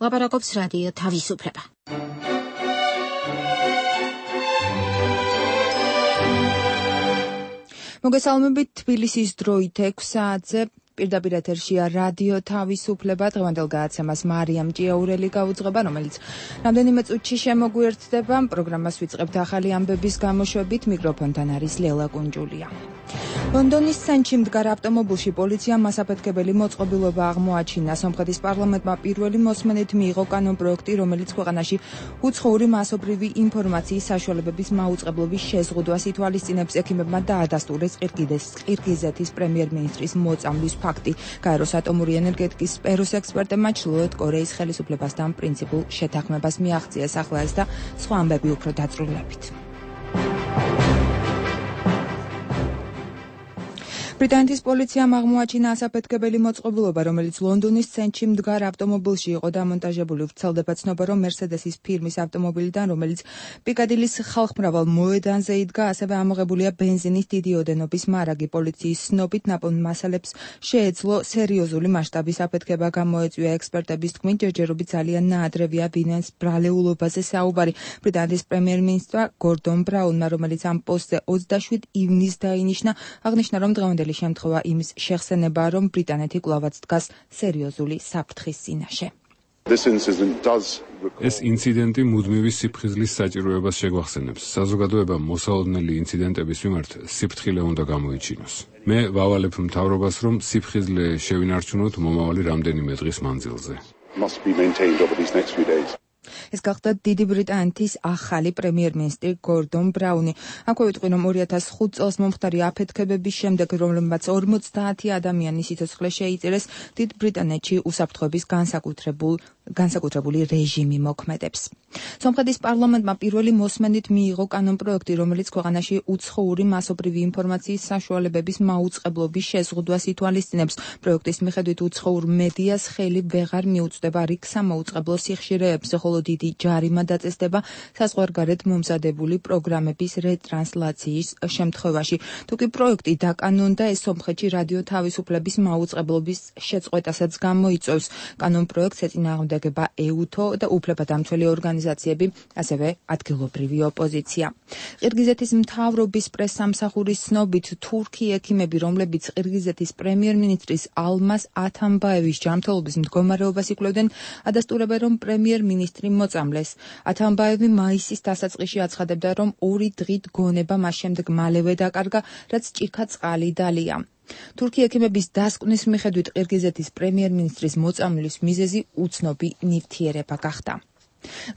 ლაპარაკობს რადიო თავისუფლება. მოგესალმებით, თბილისის დროით 6 საათზე პირდაპირ ეთერშია რადიო თავისუფლება. დღევანდელ გადაცემას მარიამ ჭიაურელი გაუძღება, რომელიც რამდენიმე წუთში შემოგვიერთდება. პროგრამას ვიწყებთ ახალი ამბების გამოშვებით. მიკროფონთან არის ლელა კუნჯულია. ლონდონის ცენტრში მდგარ ავტომობილში პოლიციამ მასაფეთქებელი მოწყობილობა აღმოაჩინა. სომხეთის პარლამენტმა პირველი მოსმენით მიიღო კანონპროექტი, რომელიც ქვეყანაში უცხოური მასობრივი ინფორმაციის საშუალებების მაუწყებლობის შეზღუდვას ითვალისწინებს. ექიმებმა დაადასტურეს ყირგიზეთის პრემიერ-მინისტრის მოწამვლის ფაქტი. გაეროს ატომური ენერგეტიკის სფეროს ექსპერტებმა ჩრდილოეთ კორეის ხელისუფლებასთან პრინციპულ შეთანხმებას მიაღწიეს. ახლა ეს და სხვა ამბები უფრო დაწვრილებით. ბრიტანეთის პოლიციამ აღმოაჩინა ასაფეთქებელი მოწყობილობა, რომელიც ლონდონის ცენტრში მდგარ ავტომობილში იყო დამონტაჟებული. ვრცელდება ცნობა, რომ მერსედესის ფირმის ავტომობილიდან, რომელიც პიკადილის ხალხმრავალ მოედანზე იდგა, ასევე ამოღებულია ბენზინის დიდი ოდენობის მარაგი. პოლიციის ცნობით ნაპოვნ მასალებს შეეძლო სერიოზული მასშტაბის აფეთქება. გამოეწვია ექსპერტების თქმით, ჯერჯერობით ძალიან ნაადრევია ვინმეს ბრალეულობაზე საუბარი. ბრიტანეთის პრემიერ-მინისტრმა გორდონ ბრაუნმა, რომელიც ამ პოსტზე 27 ივნისს დაინიშნა, აღნიშნა, რომ დღევანდელი შემთხვევა იმის შეხსენებაა, რომ ბრიტანეთი კვლავაც დგას სერიოზული საფრთხის წინაშე. ეს ინციდენტი მუდმივი სიფხიზლის საჭიროებას შეგვახსენებს. საზოგადოებამ მოსალოდნელი ინციდენტების მიმართ სიფრთხილე უნდა გამოიჩინოს. მე ვავალებ მთავრობას, რომ სიფხიზლე შევინარჩუნოთ მომავალი რამდენიმე დღის მანძილზე. ეს გახდა დიდი ბრიტანეთის ახალი პრემიერ-მინისტრი გორდონ ბრაუნი. აქვე ვიტყვი, რომ 2005 წელს მომხდარი აფეთქებების შემდეგ, რომლებმაც 50 ადამიანის სიცოცხლე შეიწირეს, დიდ ბრიტანეთში უსაფრთხოების განსაკუთრებული რეჟიმი მოქმედებს. სომხეთის პარლამენტმა პირველი მოსმენით მიიღო კანონპროექტი, რომელიც ქვეყანაში უცხოური მასობრივი ინფორმაციის საშუალებების მაუწყებლობის შეზღუდვას ითვალისწინებს. პროექტის მიხედვით უცხოურ მედიას ხელი ვეღარ მიუწვდება რიგ სამოუწყებლო სიხშირეებზე, ხოლო დიდი ჯარიმა დაწესდება საზღვარგარეთ მომზადებული პროგრამების რეტრანსლაციის შემთხვევაში. თუკი პროექტი დაკანონდა, ეს სომხეთში რადიო თავისუფლების მაუწყებლობის შეწყვეტასაც გამოიწვევს. კანონპროექტს ეწინააღმდეგება ეუთო და უფლებადამცველი ორგანიზაციები, ასევე ადგილობრივი ოპოზიცია. ყირგიზეთის მთავრობის პრესსამსახურის ცნობით, თურქი ექიმები, რომლებიც ყირგიზეთის პრემიერ-მინისტრის ალმას ათამბაევის ჯანმრთელობის მდგომარეობას იკვლევდნენ, ადასტურებენ, რომ პრემიერ-მინისტრი მოწამლეს. ათამბაევი მაისის დასაწყისში აცხადებდა, რომ 2 დღით გონება მას შემდეგ მალევე დაკარგა, რაც ჭიქა წყალი დალია. თურქი ექიმების დასკვნის მიხედვით ყირგიზეთის პრემიერ-მინისტრის მოწამვლის მიზეზი უცნობი ნივთიერება გახდა.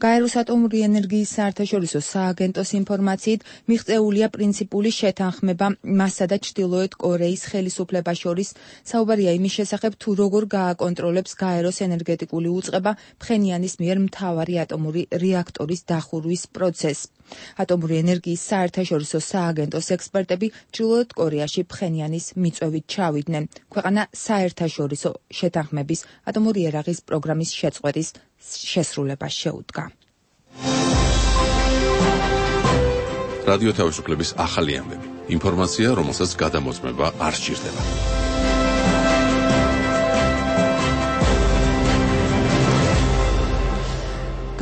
გაეროს ატომური ენერგიის საერთაშორისო სააგენტოს ინფორმაციით, მიღწეულია პრინციპული შეთანხმება მასსა და ჩრდილოეთ კორეის ხელისუფლებას შორის. საუბარია იმის შესახებ, თუ როგორ გააკონტროლებს გაეროს ენერგეტიკული უწყება ფხენიანის მიერ მთავარი ატომური რეაქტორის დახურვის პროცესს. ატომური ენერგიის საერთაშორისო სააგენტოს ექსპერტები ჩრდილოეთ კორეაში ფხენიანის მიწვევით ჩავიდნენ. ქვეყანა საერთაშორისო შეთანხმების ატომური იარაღის პროგრამის შეწყვეტის შესრულებას შეუდგა. რადიო თავისუფლების ახალი ამბები. ინფორმაცია, რომელსაც გადამოწმება არ სჭირდება.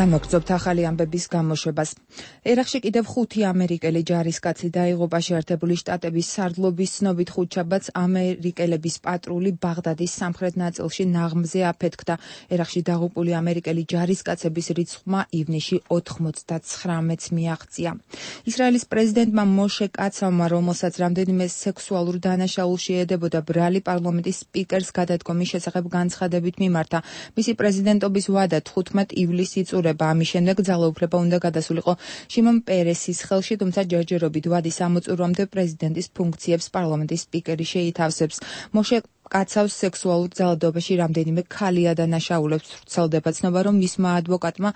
განვაგრძობთ ახალი ამბების გამოშვებას. ერაყში კიდევ 5 ამერიკელი ჯარისკაცი დაიღუპა. შეერთებული შტატების სარდლობის ცნობით ხუთშაბათს ამერიკელების პატრული ბაღდადის სამხრეთ ნაწილში ნაღმზე აფეთქდა. ერაყში დაღუპული ამერიკელი ჯარისკაცების რიცხვმა ივნისში 99-ს მიაღწია. ისრაელის პრეზიდენტმა მოშე კაცავმა, რომელსაც რამდენიმე სექსუალურ დანაშაულს შეედებოდა, ბრალი პარლამენტის სპიკერს გადადგომის შესახებ განცხადებით მიმართა. მისი პრეზიდენტობის ვადა 15 ივლისს იწურება. ამის შემდეგ ძალაუფლება უნდა გადასულიყო შიმონ პერესის ხელში, თუმცა ჯერჯერობით ვადის ამოწურვამდე პრეზიდენტის ფუნქციებს პარლამენტის სპიკერი შეითავსებს. მოშე კაცავს სექსუალურ ძალადობაში რამდენიმე ქალი ადანაშაულებს. ვრცელდება ცნობა, რომ მისმა ადვოკატმა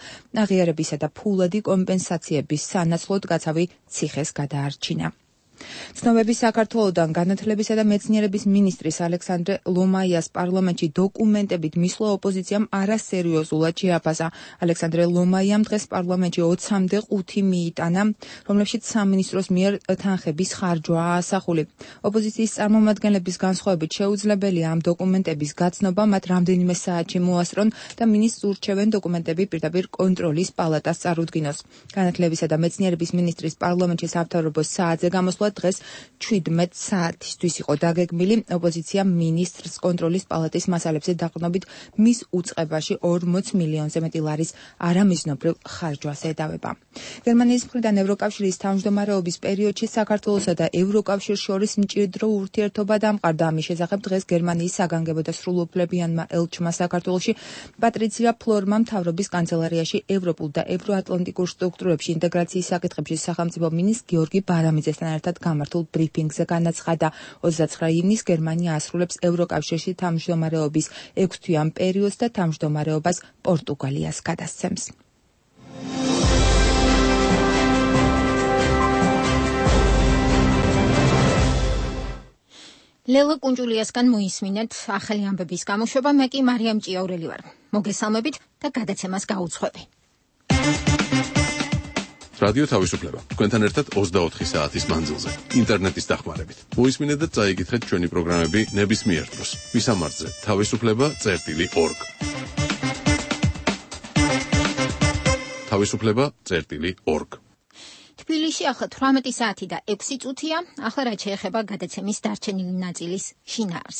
აღიარებისა და ფულადი კომპენსაციების სანაცვლოდ კაცავი ციხეს გადაარჩინა. ცნობების საქართველოდან განათლებისა და მეცნიერების მინისტრის ალექსანდრე ლომაიას პარლამენტში დოკუმენტებით მისვლა ოპოზიციამ არასერიოზულად შეაფასა. ალექსანდრე ლომაიამ დღეს პარლამენტში 20-მდე 5 მიიტანა, რომლებშიც სამინისტროს მიერ თანხების ხარჯვაა ასახული. ოპოზიციის წარმომადგენლების განსხვავებით შეუძლებელია ამ დოკუმენტების გაცნობა, მათ რამდენიმე საათში მოასწრონ და მინისტრს ურჩევენ დოკუმენტები პირდაპირ კონტროლის პალატას წარუდგინოს. განათლებისა და მეცნიერების მინისტრის პარლამენტში სამთავრობო საათზე გამოსვლა დღეს 17 საათისთვის იყო დაგეგმილი. ოპოზიცია მინისტრს კონტროლის პალატის მასალებზე დაყრდნობით მის უწყებაში 40 მილიონზე მეტი ლარის არამიზნობრივ ხარჯვას ედავება. გერმანიის მხრიდან ევროკავშირის თავმჯდომარეობის პერიოდში საქართველოსა და ევროკავშირს შორის მჭიდრო ურთიერთობა დამყარდა. ამის შესახებ დღეს გერმანიის საგანგებო და სრულუფლებიანმა ელჩმა საქართველოში პატრიცია ფლორმა მთავრობის კანცელარიაში ევროპულ და ევროატლანტიკურ სტრუქტურებში ინტეგრაციის საკითხებში სახელმწიფო მინისტრ გიორგი ბარამიძესთან ერთად გამართულ ბრიფინგზე განაცხადა. 29 ივნისს გერმანია ასრულებს ევროკავშირში თავმჯდომარეობის 6-თვიან პერიოდს და თავმჯდომარეობას პორტუგალიას გადასცემს. ლელა კუნჯულიასგან მოისმინეთ ახალი ამბების გამოშვება. მე კი მარიამ ჭიაურელი ვარ. მოგესალმებით და გადაცემას გაუძღვები. რადიო თავისუფლება. თქვენთან ერთად 24 საათის მანძილზე. ინტერნეტის დახმარებით. მოისმინეთ და წაიგითხეთ ჩვენი პროგრამები ნებისმიერ დროს. მისამართზე თავისუფლება.org. თავისუფლება.org. თბილისში ახლა 18 საათი და 6 წუთია. ახლა რაც შეეხება გადაცემის დარჩენილი ნაწილის შინაარს.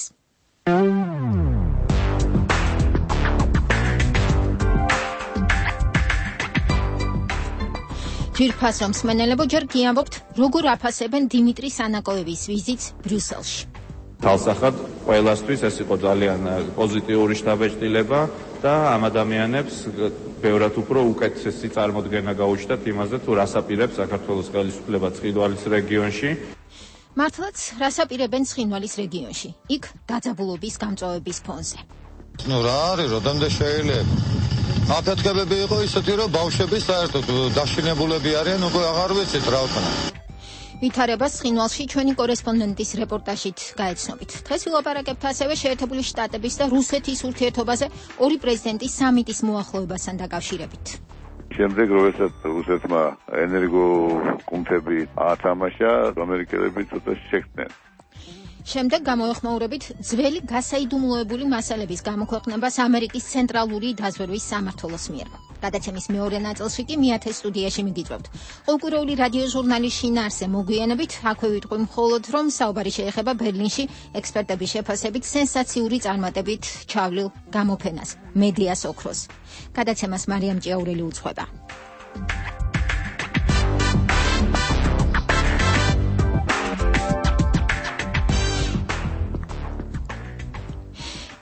ჯირფას რომ სმენელებო ჯერ გიამბობთ, როგორ აფასებენ დიმიტრი სანაკოევის ვიზიტს ბრიუსელში. თალსახად ყველასთვის ეს იყო ძალიან პოზიტიური შთაბეჭდილება და ამ ადამიანებს ბევრად უფრო უკეთესი წარმოდგენა გაუჩნდათ იმაზე, თუ რას აპირებს საქართველოს ხელისუფლება ცხინვალის რეგიონში. მართლაც რას აპირებენ ცხინვალის რეგიონში? იქ დაძაბულობის გამწვავების ფონზე. რა არის, როდემდე შეიძლება? აფეთქებები იყო ისეთი, რომ ბავშვები საერთოდ დაშინებულები არიან, უკვე აღარ ვიცით რა ვქნა. ვითარებას ცხინვალში ჩვენი კორესპონდენტის რეპორტაჟით გაეცნობით. დღეს ვილაპარაკებთ ასევე შეერთებული შტატების და რუსეთის ურთიერთობაზე ორი პრეზიდენტის სამიტის მოახლოებასთან დაკავშირებით. შემდეგ როდესაც რუსეთმა ენერგოკუნთები ათამაშა, ამერიკელები ცოტა შეხვდნენ. შემდეგ გამოეხმაურებით ძველი გასაიდუმლოებული მასალების გამოქვეყნებას ამერიკის ცენტრალური დაზვერვის სამმართველოს მიერ. გადაცემის მეორე ნაწილში კი მიათე სტუდიაში მიგიწვევთ. ყოველკვირეული რადიო ჟურნალის შინაარსზე მოგვიანებით, აქვე ვიტყვი მხოლოდ, რომ საუბარი შეეხება ბერლინში ექსპერტების შეფასებით სენსაციური წარმატებით ჩავლილ გამოფენას, მედიას ოქროს. გადაცემას მარიამ ჭიაურელი უძღვება.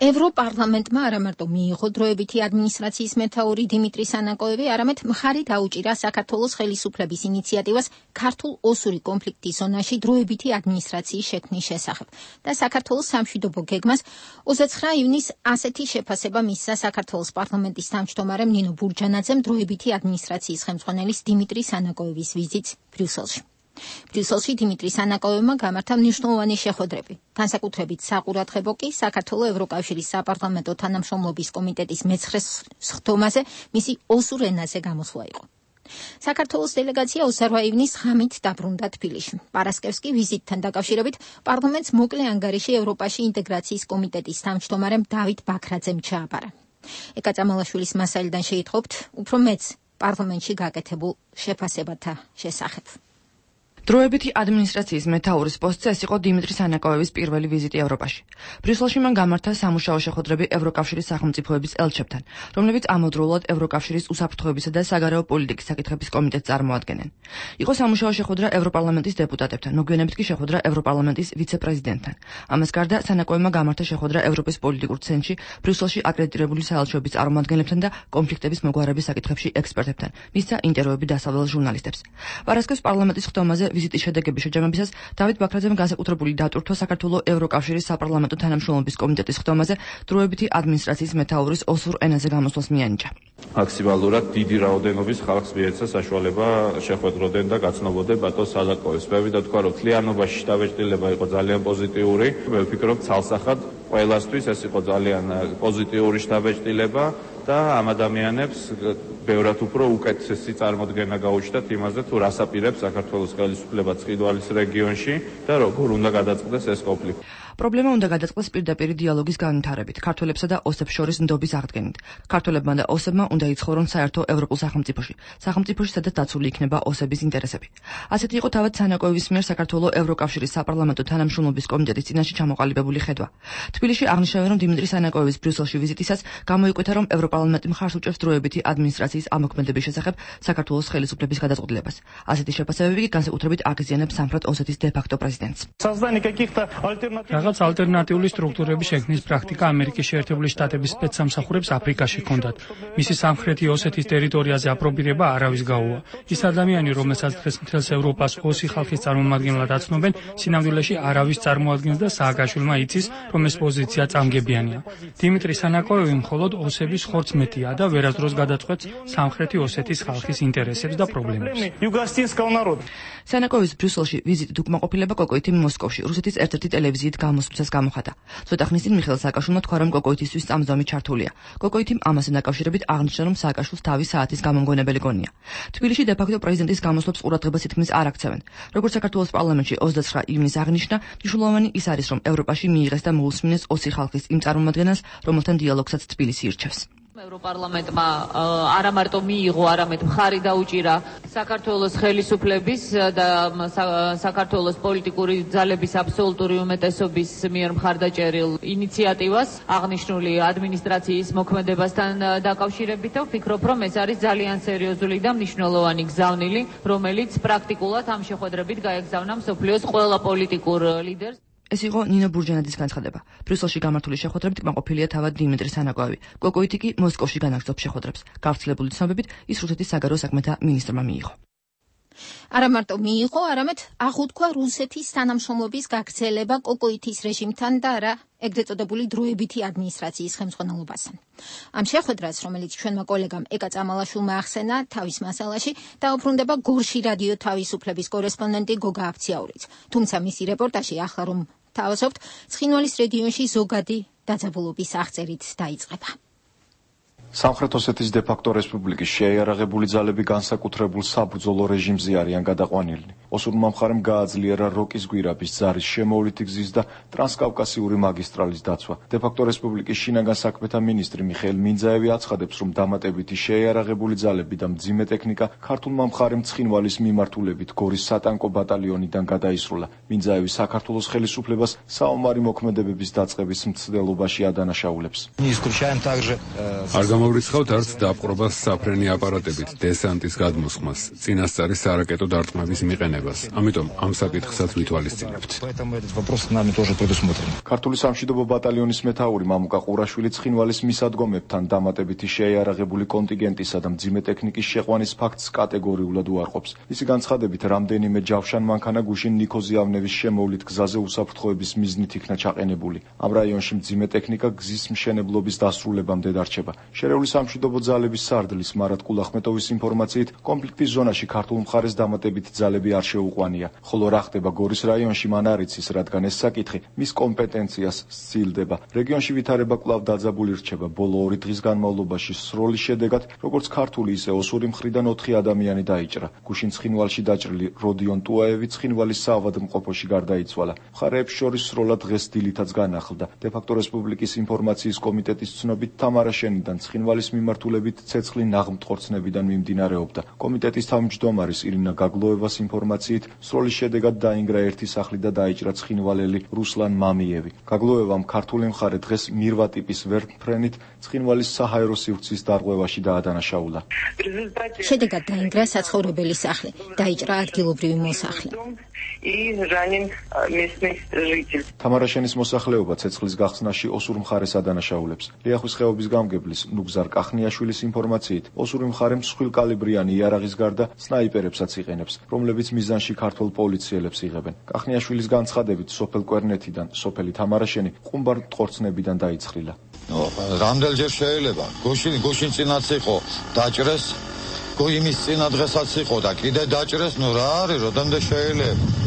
ევროპარლამენტმა არა მარტო მიიღო დროებითი ადმინისტრაციის მეთაური დიმიტრი სანაკოევი, არამედ მხარი დაუჭირა საქართველოს ხელისუფლების ინიციატივას ქართულ ოსური კონფლიქტის ზონაში დროებითი ადმინისტრაციის შექმნის შესახებ და საქართველოს სამშვიდობო გეგმას 29 ივნისს ასეთი შეფასება მისცა საქართველოს პარლამენტის თავმჯდომარემ ნინო ბურჯანაძემ დროებითი ადმინისტრაციის ხელმძღვანელის დიმიტრი სანაკოევის ვიზიტს ბრიუსელში. ბრიუსელში დიმიტრი სანაკოევმა გამართა მნიშვნელოვანი შეხვედრები. განსაკუთრებით საყურადღებო კი საქართველოს ევროკავშირის საპარლამენტო თანამშრომლობის კომიტეტის მეცხრე სხდომაზე მისი ოსურ ენაზე გამოსვლა იყო. საქართველოს დელეგაცია 28 ივნისს ღამით დაბრუნდა თბილისში. პარასკევს კი ვიზიტთან დაკავშირებით პარლამენტს მოკლე ანგარიში ევროპაში ინტეგრაციის კომიტეტის თავმჯდომარემ დავით ბაქრაძემ ჩააბარა. ეკა წამალაშვილის მასალიდან შეიტყობთ უფრო მეც პარლამენტში გაკეთებულ შეფასებათა შესახებ. დროებითი ადმინისტრაციის მეთაურის პოსტზე ეს იყო დიმიტრი სანაკოევის პირველი ვიზიტი ევროპაში. ბრიუსელში მან გამართა სამუშაო შეხვედრები ევროკავშირის სახელმწიფოების ელჩებთან, რომლებიც ამავდროულად ევროკავშირის უსაფრთხოებისა და საგარეო პოლიტიკის საკითხების კომიტეტს წარმოადგენენ. იყო სამუშაო შეხვედრა ევროპარლამენტის დეპუტატებთან, მოგვიანებით კი შეხვედრა ევროპარლამენტის ვიცე-პრეზიდენტთან. ამას გარდა სანაკოევმა გამართა შეხვედრა ევროპის პოლიტიკურ ცენტრში, ბრიუსელში აკრედიტირებული საელჩოების წარმომადგენლებთან და კონფლიქტების მოგვარების საკითხებში ექსპერტებთან. მისცა ინტერვიუები დასავლელ ჟურნალისტებს. პარასკევს პარლამენტის ხდომაზე ვიზიტის შედეგების შეჯამებისას დავით ბაქრაძემ განსაკუთრებული დატვირთვა საქართველოს ევროკავშირის საპარლამენტო თანამშრომლობის კომიტეტის ხდომაზე დროებითი ადმინისტრაციის მეთაურის ოსურ ენაზე გამოსვლას მიანიჭა. მაქსიმალურად დიდი რაოდენობის ხალხს მიეცა საშუალება შეხვედროდნენ და გაცნობოდნენ ბატონ სალაკოვის. მე ვიდა თქვა, რომ თლიანობაში შთაბეჭდილება იყო ძალიან პოზიტიური. მე ვფიქრობ, ცალსახად ყველასთვის ეს იყო ძალიან პოზიტიური შთაბეჭდილება და ამ ადამიანებს ბევრად უფრო უკეთესი წარმოდგენა გაუჩნდათ იმაზე, თუ რას აპირებს საქართველოს ხელისუფლება ცხინვალის რეგიონში და როგორ უნდა გადაწყდეს ეს კონფლიქტი. პრობლემა უნდა გადაწყდეს პირდაპირ დიალოგის განვითარებით, ქართველებსა და ოსებს შორის ნდობის აღდგენით. ქართველებმა და ოსებმა უნდა იცხოვრონ საერთო ევროპულ სახელმწიფოში, სადაც დაცული იქნება ოსების ინტერესები. ასეთი იყო თავად სანაკოევის მიერ საქართველოს ევროკავშირის საპარლამენტო თანამშრომლობის კომიტეტის წინაშე ჩამოყალიბებული ხედვა. თბილისში აღნიშნავენ, რომ დიმიტრი სანაკოევის ბრიუსელში ვიზიტისას გამოიკვეთა, რომ ევროპარლამენტი მხარს უჭერს დროებითი ადმინისტრაციის ამოქმედების შესახებ საქართველოს ხელისუფლების გადაწყვეტილებას. ასეთი შეფასებები კი განსაკუთრებით აღიზიანებს სამხრეთ ოსეთის დე-ფაქტო პრეზიდენტს. რაღაც ალტერნატიული სტრუქტურების შექმნის პრაქტიკა ამერიკის შეერთებული შტატების სპეცსამსახურებს აფრიკაში ჰქონდათ. მისი სამხრეთი ოსეთის ტერიტორიაზე აპრობირება არავის გაუვა. ის ადამიანი, რომელსაც დღეს მთელს ევროპას ოსი ხალხის წარმომადგენლად აცნობენ, სინამდვილეში არავის წარმოადგენს და სააკაშვილმა იცის, რომ ეს პოზიცია წამგებიანია. დიმიტრი სანაკოევი მხოლოდ ოსების ხორცს მეტია და ვერასდროს გადაწყვეტს სამხრეთი ოსეთის ხალხის ინტერესებს და პრობლემებს. სანაკოევის ბრიუსელში ვიზიტით უკმაყოფილება კოკოითიმ მოსკოვში რუსეთის ერთ-ერთი ტელევიზიით გამოსვლისას გამოხატა. ცოტა ხნის წინ მიხეილ სააკაშვილმა თქვა, რომ კოკოითისთვის წამსვლამი ჩართულია. კოკოითიმ ამასთან დაკავშირებით აღნიშნა, რომ სააკაშვილს თავის საათის გამომგონებელი გონია. თბილისში დე-ფაქტო პრეზიდენტის გამოსვლებს ყურადღებას თითქმის არ აქცევენ. როგორც საქართველოს პარლამენტში 29 ივნისს აღნიშნა, მნიშვნელოვანი ის არის, რომ ევროპაში მიიღეს და მოусმინეს ოსი ხალხის იმ წარმომადგენელს, რომელთან დიალოგსაც თბილისი ირჩევს. ევროპარლამენტმა არა მარტო მიიღო, არამედ მხარი დაუჭირა საქართველოს ხელისუფლების და საქართველოს პოლიტიკური ძალების აბსოლუტური უმეტესობის მიერ მხარდაჭერილ ინიციატივას აღნიშნული ადმინისტრაციის მოქმედებასთან დაკავშირებით და ვფიქრობ, რომ ეს არის ძალიან სერიოზული და მნიშვნელოვანი გზავნილი, რომელიც პრაქტიკულად ამ შეხვედრებით გაეგზავნა მსოფლიოს ყველა პოლიტიკურ ლიდერს. ეს იყო ნინო ბურჯანაძის განცხადება. ბრიუსელში გამართული შეხვედრებით კმაყოფილია თავად დიმიტრი სანაკოევი. კოკოითი კი მოსკოვში განაგრძობს შეხვედრებს. გავრცელებული ცნობებით ის რუსეთის საგარეო საქმეთა მინისტრმა მიიღო. არა მარტო მიიღო, არამედ აღუთქვა რუსეთის თანამშრომლობის გაგრძელება კოკოითის რეჟიმთან და არა ეგრეთ წოდებული დროებითი ადმინისტრაციის ხელმძღვანელობასთან. ამ შეხვედრას, რომელიც ჩვენმა კოლეგამ ეკა წამალაშვილმა ახსენა თავის მასალაში, დაუბრუნდება გორში რადიო თავისუფლების კორესპონდენტი გოგა აფციაურიც. თუმცა მისი რეპორტაჟი ახლა რომ თავაზობთ, ცხინვალის რეგიონში ზოგადი დაძაბულობის აღწერით დაიწყება. სამხრეთ ოსეთის დე-ფაქტო რესპუბლიკის შეიარაღებული ძალები განსაკუთრებულ საბრძოლო რეჟიმზე არიან გადაყვანილნი. ოსურმა მხარემ გააძლიერა როკის გვირაბის ძარის შემოვლითი გზის და ტრანსკავკასიური მაგისტრალის დაცვა. დე-ფაქტო რესპუბლიკის შინაგან საქმეთა მინისტრი მიხეილ მინძაევი აცხადებს, რომ დამატებითი შეიარაღებული ძალები და მძიმე ტექნიკა ქართულმა მხარემ ცხინვალის მიმართულებით გორის სატანკო ბატალიონიდან გადაისროლა. მინძაევი საქართველოს ხელისუფლებას საომარი მოქმედებების დაწყების მცდელობაში ადანაშაულებს. გამოვრიცხავთ არც დაპყრობას საფრენი აპარატებით, დესანტის გადმოსხმას, წინასწარი სარაკეტო დარტყმების მიყენებას. ამიტომ ამ საკითხსაც ვითვალისწინებთ. ქართული სამშვიდობო ბატალიონის მეთაური მამუკა ყურაშვილი ცხინვალის მისადგომებთან დამატებითი შეიარაღებული კონტინგენტისა და მძიმე ტექნიკის შეყვანის ფაქტს კატეგორიულად უარყოფს. მისი განცხადებით, რამდენიმე ჯავშან მანქანა გუშინ ნიქოზიავნევის შემოვლით გზაზე უსაფრთხოების მიზნით იქნა ჩაყენებული. ამ რაიონში მძიმე ტექნიკა გზის მშენებლობის დასრულებამდე დარჩება. შერეული სამშვიდობო ძალების სარდლის მარად კულახმეტოვის ინფორმაციით, კონფლიქტის ზონაში ქართულ მხარეს დამატებითი ძალები არ შეუყვანია, ხოლო რა ხდება გორის რაიონში მან არ იცის, რადგან ეს საკითხი მის კომპეტენციას სცილდება. რეგიონში ვითარება კვლავ დაძაბული რჩება. ბოლო 2 დღის განმავლობაში სროლის შედეგად, როგორც ქართული, ისე ოსური მხრიდან 4 ადამიანი დაიჭრა. გუშინ ცხინვალში დაჭრილი როდიონ ტუაევი ცხინვალის საავადმყოფოში გარდაიცვალა. მხარეებს შორის სროლა დღეს დილითაც განახლდა. დე-ფაქტო რესპუბლიკის ინფორმაციის კომიტეტის ცნობით თამარა შენიდან ცხინვალის მიმართულებით ცეცხლი ნაღმტყორცნებიდან მიმდინარეობდა. კომიტეტის თავმჯდომარის ირინა გაგლოევას ინფორმაციით, სროლის შედეგად დაინგრა ერთი სახლი და დაიჭრა ცხინვალელი რუსლან მამიევი. გაგლოევამ ქართული მხარე დღეს მირვა ტიპის ვერტმფრენით ცხინვალის საჰაერო სივრცის დარღვევაში დაადანაშაულა. შედეგად დაინგრა საცხოვრებელი სახლი, დაიჭრა ადგილობრივი მოსახლე. თამარა შენის მოსახლეობა ცეცხლის გახსნაში ოსურ მხარეს ადანაშაულებს. ლიახვის ხეობის გამგებლის ნუგზარ კახნიაშვილის ინფორმაციით, ოსური მხარე მსხვილკალიბრიანი იარაღის გარდა სნაიპერებსაც იყენებს, რომლებიც მის მიზანში ქართულ პოლიციელებს იღებენ. კახნიაშვილის განცხადებით, სოფელ კვერნეთიდან სოფელი თამარაშენი ყუმბარ მტყორცნებიდან დაიცხრილა. რამდენჯერ შეიძლება გუშინ წინაც იყო დაჭრეს, იმის წინა დღესაც იყო და კიდე დაჭრეს, რა არის, როდემდე შეიძლება.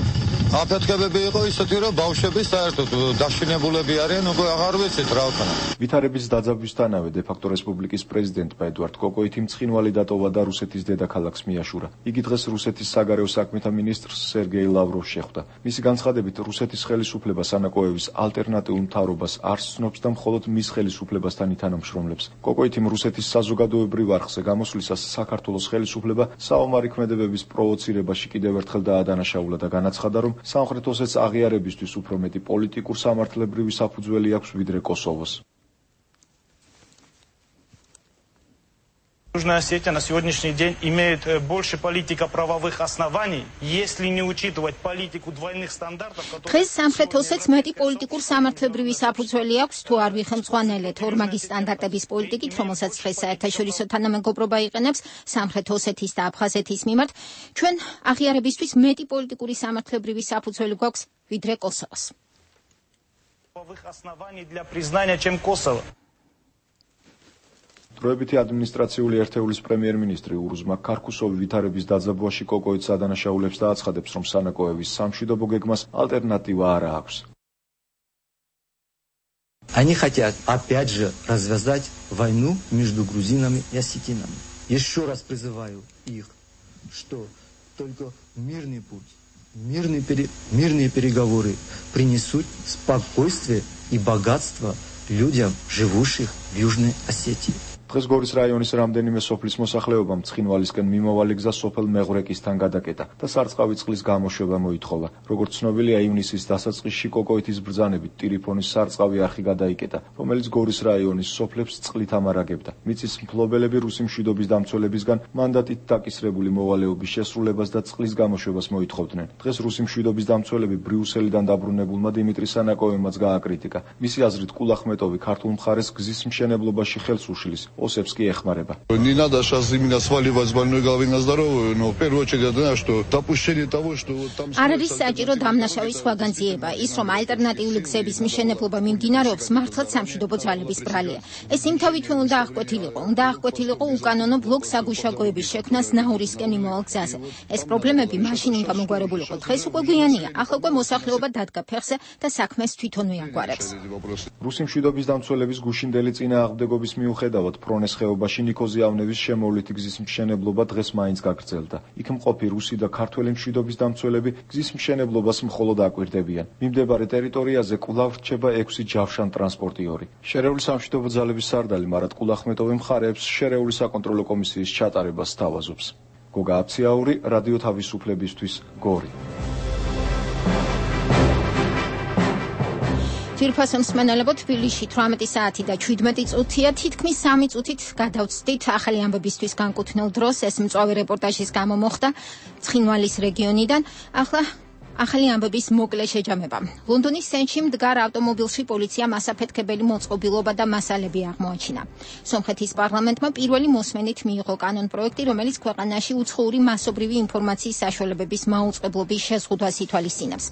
აფეთქებები იყო ისეთი, რომ ბავშვები საერთოდ დაშინებულები არიან, უკვე აღარ ვიცით რა ვქნა. ვითარების დაძაბვისთანავე დე-ფაქტო რესპუბლიკის პრეზიდენტმა ედუარდ კოკოითი მწყინვალი დატოვა და რუსეთის დედაქალაქს მიაშურა. იგი დღეს რუსეთის საგარეო საქმეთა მინისტრს სერგეი ლავროვს შეხვდა. მისი განცხადებით, რუსეთის ხელისუფლება სანაკოევის ალტერნატიულ მთავრობას არ სცნობს და მხოლოდ მის ხელისუფლებასთან ითანამშრომლებს. კოკოითიმ რუსეთის საზოგადოებრივ არხზე გამოსვლისას საქართველოს ხელისუფლება საომარი ქმედებების პროვოცირებაში კიდევ ერთხელ დაადანაშაულა და განაცხადა, რომ სამხრეთ ოსეთის აღიარებისთვის უფრო მეტი პოლიტიკურ სამართლებრივი საფუძველი აქვს ვიდრე კოსოვოს. Южная Осетия на сегодняшний день имеет больше политико-правовых оснований, если не учитывать политику двойных стандартов, которые... დღეს სამხრეთ ოსეთს მეტი პოლიტიკურ სამართლებრივი საფუძველი აქვს, თუ არ ვიხელმძღვანელეთ ორმაგი სტანდარტების პოლიტიკით, რომელსაც დღეს საერთაშორისო თანამეგობრობა იყენებს სამხრეთ ოსეთის და აფხაზეთის მიმართ, ჩვენ აღიარებისთვის მეტი პოლიტიკური სამართლებრივი საფუძველი გვაქვს, ვიდრე კოსოვოს. ...правовых оснований для признания, чем Косово. დროებითი ადმინისტრაციული ერთეულის პრემიერ-მინისტრი ურუზმა ქარქუსოვი ვითარების დაძაბვაში კოკოითს ადანაშაულებს და აცხადებს, რომ სანაკოევის სამშვიდობო გეგმას ალტერნატივა არ აქვს. Они хотят опять же развязать войну между грузинами и осетинами. Еще раз призываю их, что только мирный путь, мирные переговоры принесут спокойствие и богатство людям, живущих в Южной Осетии. დღეს გორის რაიონის რამდენიმე სოფლის მოსახლეობამ ცხინვალისკენ მიმავალი გზა სოფელ მეღვრეკისთან გადაკეტა და სარწყავი წყლის გამოშვება მოითხოვა. როგორც ცნობილია, ივნისის დასაწყისში კოკოითის ბრძანებით ტირიფონის სარწყავი არხი გადაიკეტა, რომელიც გორის რაიონის სოფლებს წყლით ამარაგებდა. მიწის მფლობელები რუსი მშვიდობის დამცველებისგან მანდატით დაკისრებული მოვალეობის შესრულებას და წყლის გამოშვებას მოითხოვდნენ. დღეს რუსი მშვიდობის დამცველები ბრიუსელიდან დაბრუნებულმა დიმიტრი სანაკოევმაც გააკრიტიკა. მისი აზრით, კულახმეტოვი ქართულ მხარეს გზის მშენებლობაში ხელს უშლის. ოსებს კი ეხმარება. Не надо сейчас именно сваливать с больной головы на здоровую, но в первую очередь это что допущение того, что там... არ არის საჭირო დამნაშავის სხვაგანძიება. ის, რომ ალტერნატიული გზების მშენებლობა მიმდინარეობს, მართლაც სამშვიდობო ძალების ბრალია. ეს იმთავითვე უნდა აღკვეთილიყო უკანონო ბლოკ საგუშაგოების შექმნას ნაურისკენ იმოვალ გზაზე. ეს პრობლემები მაშინ უნდა მოგვარებულიყო. დღეს უკვე გვიანია. ახლა უკვე მოსახლეობა დადგა ფეხზე და საქმეს თვითონვე აგვარებს. რუსი მშვიდობის დამცველების გუშინდელი წინააღმდეგობის მიუხედავად ფრონეს ხეობაში ნიკოზიავნების შემოვლითი გზის მშენებლობა დღეს მაინც გაგრძელდა. იქ მყოფი რუსი და ქართველი მშვიდობის დამცველები გზის მშენებლობას მხოლოდ აკვირდებიან. მიმდებარე ტერიტორიაზე კვლავ რჩება 6 ჯავშან ტრანსპორტიორი. შერეული სამშვიდობო ძალების სარდალი მარად კულახმეტოვი მხარეებს შერეული საკონტროლო კომისიის ჩატარებას სთავაზობს. გოგა აფციაური, რადიო თავისუფლებისთვის, გორი. თირფასო მსმენელებო, თბილისში 18 საათი და 17 წუთია, თითქმის 3 წუთით გადავწვდით ახალი ამბებისთვის განკუთვნილ დროს. ეს მწვავე რეპორტაჟის გამო მოხდა ცხინვალის რეგიონიდან. ახლა ახალი ამბების მოკლე შეჯამება. ლონდონის სენში მდგარ ავტომობილში პოლიციამ ასაფეთქებელი მოწყობილობა და მასალები აღმოაჩინა. სომხეთის პარლამენტმა პირველი მოსმენით მიიღო კანონპროექტი, რომელიც ქვეყანაში უცხოური მასობრივი ინფორმაციის საშუალებების მაუწყებლობის შეზღუდვას ითვალისწინებს.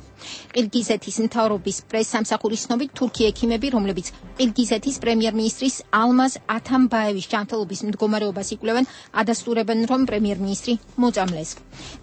ყირგიზეთის მთავრობის პრესსამსახურის ცნობით, თურქი ექიმები, რომლებიც ყირგიზეთის პრემიერ-მინისტრის ალმაზ ათამბაევის ჯანმრთელობის მდგომარეობას იკვლევენ, ადასტურებენ, რომ პრემიერ-მინისტრი მოწამლეს.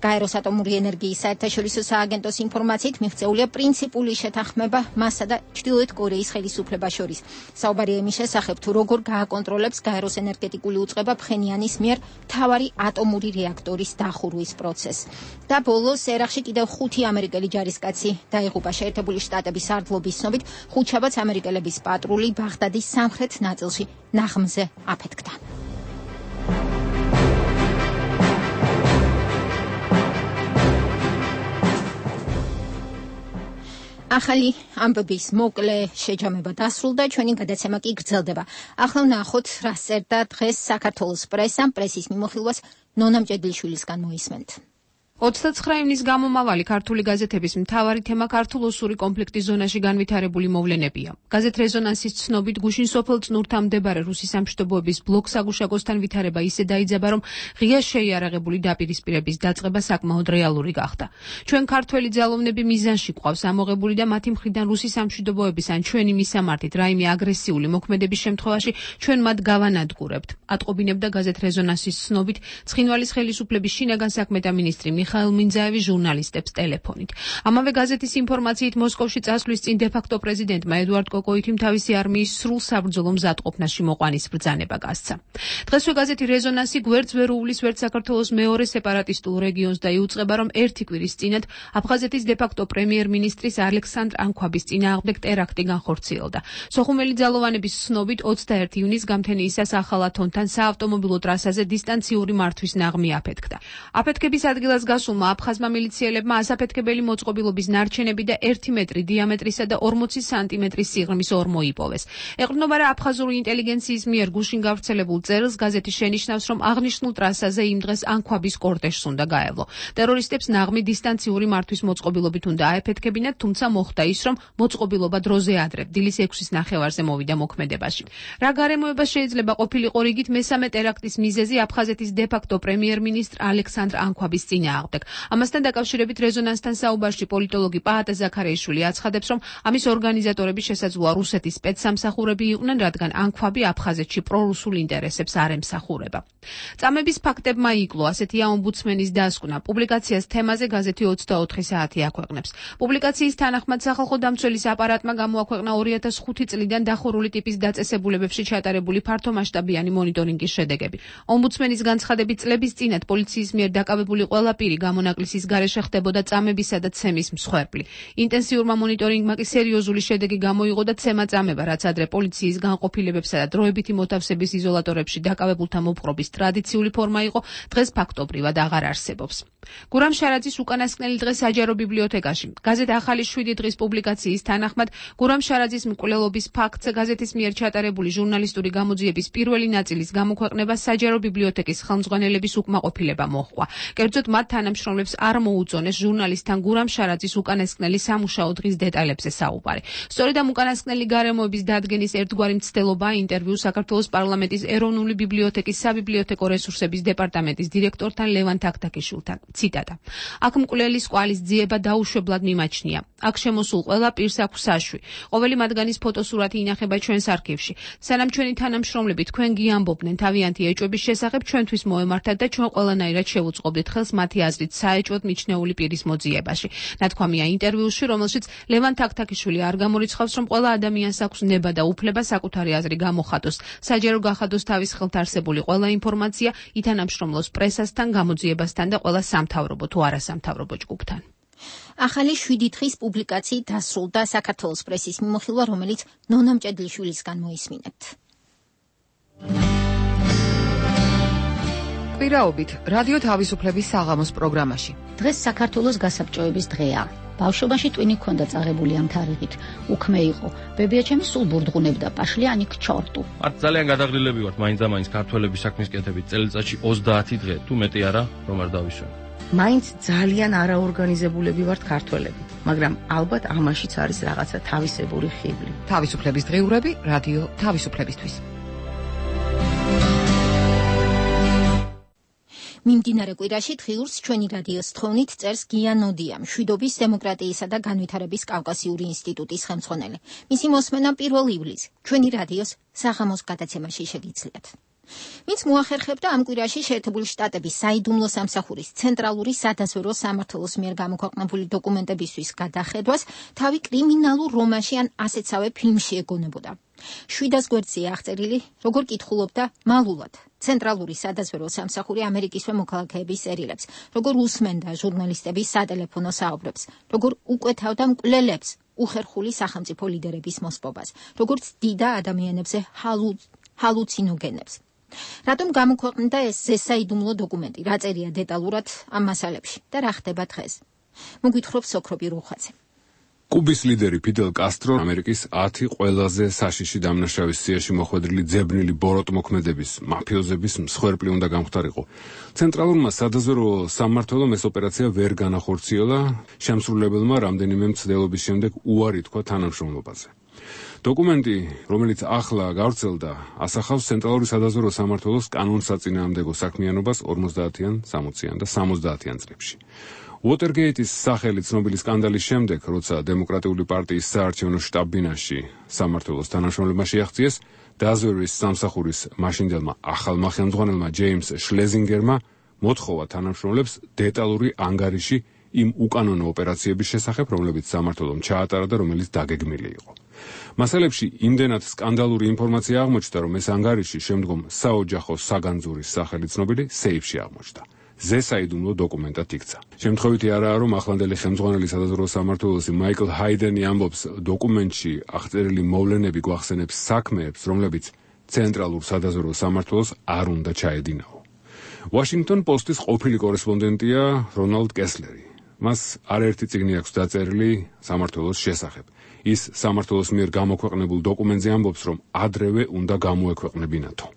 გაეროს ატომური ენერგიის საერთაშორისო სააგენტოს ინფორმაციით მიღწეულია პრინციპული შეთანხმება მასსა და ჩრდილოეთ კორეის ხელისუფლებას შორის. საუბარია იმის შესახებ, თუ როგორ გააკონტროლებს გაეროს ენერგეტიკული უწყება ფხენიანის მიერ მთავარი ატომური რეაქტორის დახურვის პროცესს. და ბოლოს ერაყში კიდევ 5 ამერიკელი ჯარისკაცი დაიღუპა. შეერთებული შტატების სარდლობის ცნობით, ხუთშაბათს ამერიკელების პატრული ბაღდადის სამხრეთ ნაწილში ნაღმზე აფეთქდა. ახალი ამბების მოკლე შეჯამება დასრულდა, ჩვენი გადაცემა კი გრძელდება. ახლა ვნახოთ, რა წერდა დღეს საქართველოს პრესამ, პრესის მიმოხილვას ნონა მჭედლიშვილისგან მოისმენთ. 29 ივნის გამომავალი ქართული გაზეთების მთავარი თემა ქართულ-ოსური კონფლიქტის ზონაში განვითარებული მოვლენებია. გაზეთ რეზონანსის ცნობით გუშინ სოფელ წნურთან მდებარე რუსი სამშვიდობოების ბლოკ საგუშაგოსთან ვითარება ისე დაიძაბა, რომ ღია შეიარაღებული დაპირისპირების დაწყება საკმაოდ რეალური გახდა. ჩვენ ქართველი ძალოვნები მიზანში გვყავს ამოღებული და მათი მხრიდან რუსი სამშვიდობოების ან ჩვენი მისამართით რაიმე აგრესიული მოქმედების შემთხვევაში ჩვენ მათ გავანადგურებთ. ატყობინებდა გაზეთ რეზონანსის ცნობით ცხინვალის ხელისუფლების შინაგან საქმეთა მინისტრი მიხაილ მინძაევი ჟურნალისტებს ტელეფონით. ამავე გაზეთის ინფორმაციით მოსკოვში წასვლის წინ დე-ფაქტო პრეზიდენტმა ედუარდ კოკოითიმ თავისი არმიის სრულ საბრძოლო მზადყოფნაში მოყვანის ბრძანება გასცა. დღესვე გაზეთი რეზონანსი გვერდს ვერ უვლის ვერც საქართველოს მეორე სეპარატისტულ რეგიონს და იუწყება, რომ ერთი კვირის წინათ აფხაზეთის დე-ფაქტო პრემიერ-მინისტრის ალექსანდრ ანქვაბის წინააღმდეგ ტერაქტი განხორციელდა. სოხუმელი ძალოვანების ცნობით 21 ივნის გამთენიისას ახალ ათონთან საავტომობილო ტრასაზე დისტანციური მართვის ნაღმი აფეთქდა. აფეთქების ადგილას გასულმა აფხაზმა მილიციელებმა ასაფეთქებელი მოწყობილობის ნარჩენები და 1 მეტრი დიამეტრისა და 40 სანტიმეტრის სიღრმის ორმო მოიპოვეს. ეყრდნობა რა აფხაზური ინტელიგენციის მიერ გუშინ გავრცელებულ წერილს გაზეთი შენიშნავს, რომ აღნიშნულ ტრასაზე იმ დღეს ანქვაბის კორტეჟს უნდა გაევლო. ტერორისტებს ნაღმი დისტანციური მართვის მოწყობილობით უნდა აეფეთქებინათ, თუმცა მოხდა ის, რომ მოწყობილობა დროზე ადრე დილის 6-ის ნახევარზე მოვიდა მოქმედებაში. რა გარემოება შეიძლება ყოფილიყო რიგით მესამე ტერაქტის მიზეზი აფხაზეთის დე-ფაქტო პრემიერ-მინისტრ ალექსანდრ ანქვაბის წინააღმდეგ. ამასთან დაკავშირებით რეზონანსთან საუბარში პოლიტოლოგი პაატა ზაქარიაშვილი აცხადებს, რომ ამის ორგანიზატორები შესაძლოა რუსეთის სპეცსამსახურები იყვნენ, რადგან ანქვაბი აფხაზეთში პრორუსულ ინტერესებს არ ემსახურება. წამების ფაქტებმა იკლო, ასეთია ომბუდსმენის დასკვნა. პუბლიკაციას თემაზე გაზეთი 24 საათი აქვეყნებს. პუბლიკაციის თანახმად სახალხო დამცველის აპარატმა გამოაქვეყნა 2005 წლიდან დახურული ტიპის დაწესებულებებში ჩატარებული ფართომასშტაბიანი მონიტორინგის შედეგები. ომბუდსმენის განცხადებით წლების წინათ პოლიციის მიერ დაკავებული ყველა პირი გამონაკლისის გარეშე ხდებოდა წამებისა და ცემის მსხვერპლი. ინტენსიურმა მონიტორინგმა კი სერიოზული შედეგი გამოიღო და ცემა წამება, რაც ადრე პოლიციის განყოფილებებსა და დროებითი მოთავსების იზოლატორებში დაკავებულთა მოპყრობის ტრადიციული ფორმა იყო, დღეს ფაქტობრივად აღარ არსებობს. გურამ შარაძის უკანასკნელი დღე საჯარო ბიბლიოთეკაში. გაზეთ ახალი 7 დღის პუბლიკაციის თანახმად გურამ შარაძის მკვლელობის ფაქტზე გაზეთის მიერ ჩატარებული ჟურნალისტური გამოძიების პირველი ნაწილის გამოქვეყნება საჯარო ბიბლიოთეკის ხელმძღვანელების უკმაყოფილება მოჰყვა. კერძოდ მათ თანამშრომლებს არ მოუწონეს ჟურნალისტთან გურამ შარაძის უკანასკნელი სამუშაო დღის დეტალებზე საუბარი. სწორედ ამ უკანასკნელი გარემოების დადგენის ერთგვარი მცდელობაა ინტერვიუ საქართველოს პარლამენტის ეროვნული ბიბლიოთეკის საბიბლიოთეკო რესურსების დეპარტამენტის დირექტორთან ლევან თაქთაქიშვილთან. ციტატა: აქ მკვლელის კვალის ძიება დაუშვებლად მიმაჩნია. აქ შემოსულ ყველა პირს აქვს საშვი. ყოველი მათგანის ფოტოსურათი ინახება ჩვენს არქივში. სანამ ჩვენი თანამშრომლები თქვენ გიამბობდნენ თავიანთი ეჭვების შესახებ, ჩვენთვის მოემართათ და ჩვენ ყველანაირად შევუწყობდით ხელს მათი აზრით საეჭვოდ მიჩნეული პირის მოძიებაში. ნათქვამია ინტერვიუში, რომელშიც ლევან თაქთაქიშვილი არ გამორიცხავს, რომ ყველა ადამიანს აქვს ნება და უფლება საკუთარი აზრი გამოხატოს, საჯარო გახადოს თავის ხელთ არსებული ყველა ინფორმაცია, ითანამშრომლოს პრესასთან, გამოძიებასთან და ყველა სამთავრობო თუ არასამთავრობო ჯგუფთან. ახალი 7 დღის პუბლიკაციით დასრულდა საქართველოს პრესის მიმოხილვა, რომელიც ნონა მჭედლიშვილისგან მოისმინეთ. კვირაობით რადიო თავისუფლების საღამოს პროგრამაში. დღეს საქართველოს გასაბჭოების დღეა. ბავშვობაში ტვინი ქონდა წაღებული ამ თარიღით. უქმე იყო. ბებიაჩემი სულ ბურდღუნებდა პაშლიანი ქჩორტუ. მათ ძალიან გადაღრილები ვართ მაინც ქართველების საქმის კეთებით. წელიწადში 30 დღე, თუ მეტი არა, რომ არ დავიშვენ. მაინც ძალიან არაორგანიზებულები ვართ ქართველები, მაგრამ ალბათ ამაშიც არის რაღაცა თავისებური ხიბლი. თავისუფლების დღიურები რადიო თავისუფლებისთვის. მიმდინარე კვირაში დღიურს ჩვენი რადიოს თხოვნით წერს გია ნოდია, მშვიდობის, დემოკრატიისა და განვითარების კავკასიური ინსტიტუტის ხელმძღვანელი. მისი მოსმენა 1 ივლისს ჩვენი რადიოს საღამოს გადაცემაში შეგიძლიათ. ვინც მოახერხებდა ამ კვირაში შეერთებული შტატების საიდუმლო სამსახურის ცენტრალური სადაზვერვო სამმართველოს მიერ გამოქვეყნებული დოკუმენტებისთვის გადახედვას, თავი კრიმინალურ რომანში ან ასეთსავე ფილმში ეგონებოდა. 700 გვერდზეა აღწერილი, როგორ კითხულობდა მალულად ცენტრალური სადაზვერვო სამსახური ამერიკისვე მოქალაქეების წერილებს, როგორ უსმენდა ჟურნალისტების სატელეფონო საუბრებს, როგორ უკვეთავდა მკვლელებს უხერხული სახელმწიფო ლიდერების მოსპობას, როგორც დიდა ადამიანებზე ჰალუცინოგენებს. რატომ გამოქვეყნდა ეს ზესაიდუმლო დოკუმენტი, რა წერია დეტალურად ამ მასალებში და რა ხდება დღეს? მოგვითხრობს სოქრობი რუხაძე. კუბის ლიდერი ფიდელ კასტრო ამერიკის 10 ყველაზე საშიში დამნაშავის სიაში მოხვედრილი ძებნილი ბოროტმოქმედების მაფიოზების მსხვერპლი უნდა გამختارიყო. ცენტრალურმა სადაზვერვო სამმართველომ ეს ოპერაცია ვერ განახორციელა, შემსრულებელმა რამდენიმე მცდელობის შემდეგ უარი თქვა თანამშრომლობაზე. დოკუმენტი, რომელიც ახლა გავრცელდა, ასახავს ცენტრალური სადაზვერვო სამმართველოს კანონსაწინააღმდეგო საქმიანობას 50-იან, 60-იან და 70-იან წლებში. უოტერგეიტის სახელი ცნობილი სკანდალის შემდეგ, როცა დემოკრატიული პარტიის საარჩევნო შტაბ-ბინაში სამმართველოს თანამშრომლებმა შეაღწიეს, დაზვერვის სამსახურის მაშინდელმა ახალმა ხელმძღვანელმა ჯეიმს შლეზინგერმა მოთხოვა თანამშრომლებს დეტალური ანგარიში იმ უკანონო ოპერაციების შესახებ, რომლებიც სამმართველომ ჩაატარა და რომელიც დაგეგმილი იყო. მასალებში იმდენად სკანდალური ინფორმაცია აღმოჩნდა, რომ ეს ანგარიში შემდგომ საოჯახო საგანძურის სახელი ცნობილი სეიფში აღმოჩნდა. ზესაიდუმლო დოკუმენტად იქცა. შემთხვევითი არაა, რომ ახლანდელი ხელმძღვანელი სადაზვერვო სამმართველოსი მაიკლ ჰაიდენი ამბობს, დოკუმენტში აღწერილი მოვლენები გვახსენებს საქმეებს, რომლებიც ცენტრალურ სადაზვერვო სამმართველოს არ უნდა ჩაედინაო. ვაშინგტონ პოსტის ყოფილი კორესპონდენტია რონალდ კესლერი. მას არაერთი წიგნი აქვს დაწერილი სამმართველოს შესახებ. ის სამმართველოს მიერ გამოქვეყნებულ დოკუმენტზე ამბობს, რომ ადრევე უნდა გამოექვეყნებინათო.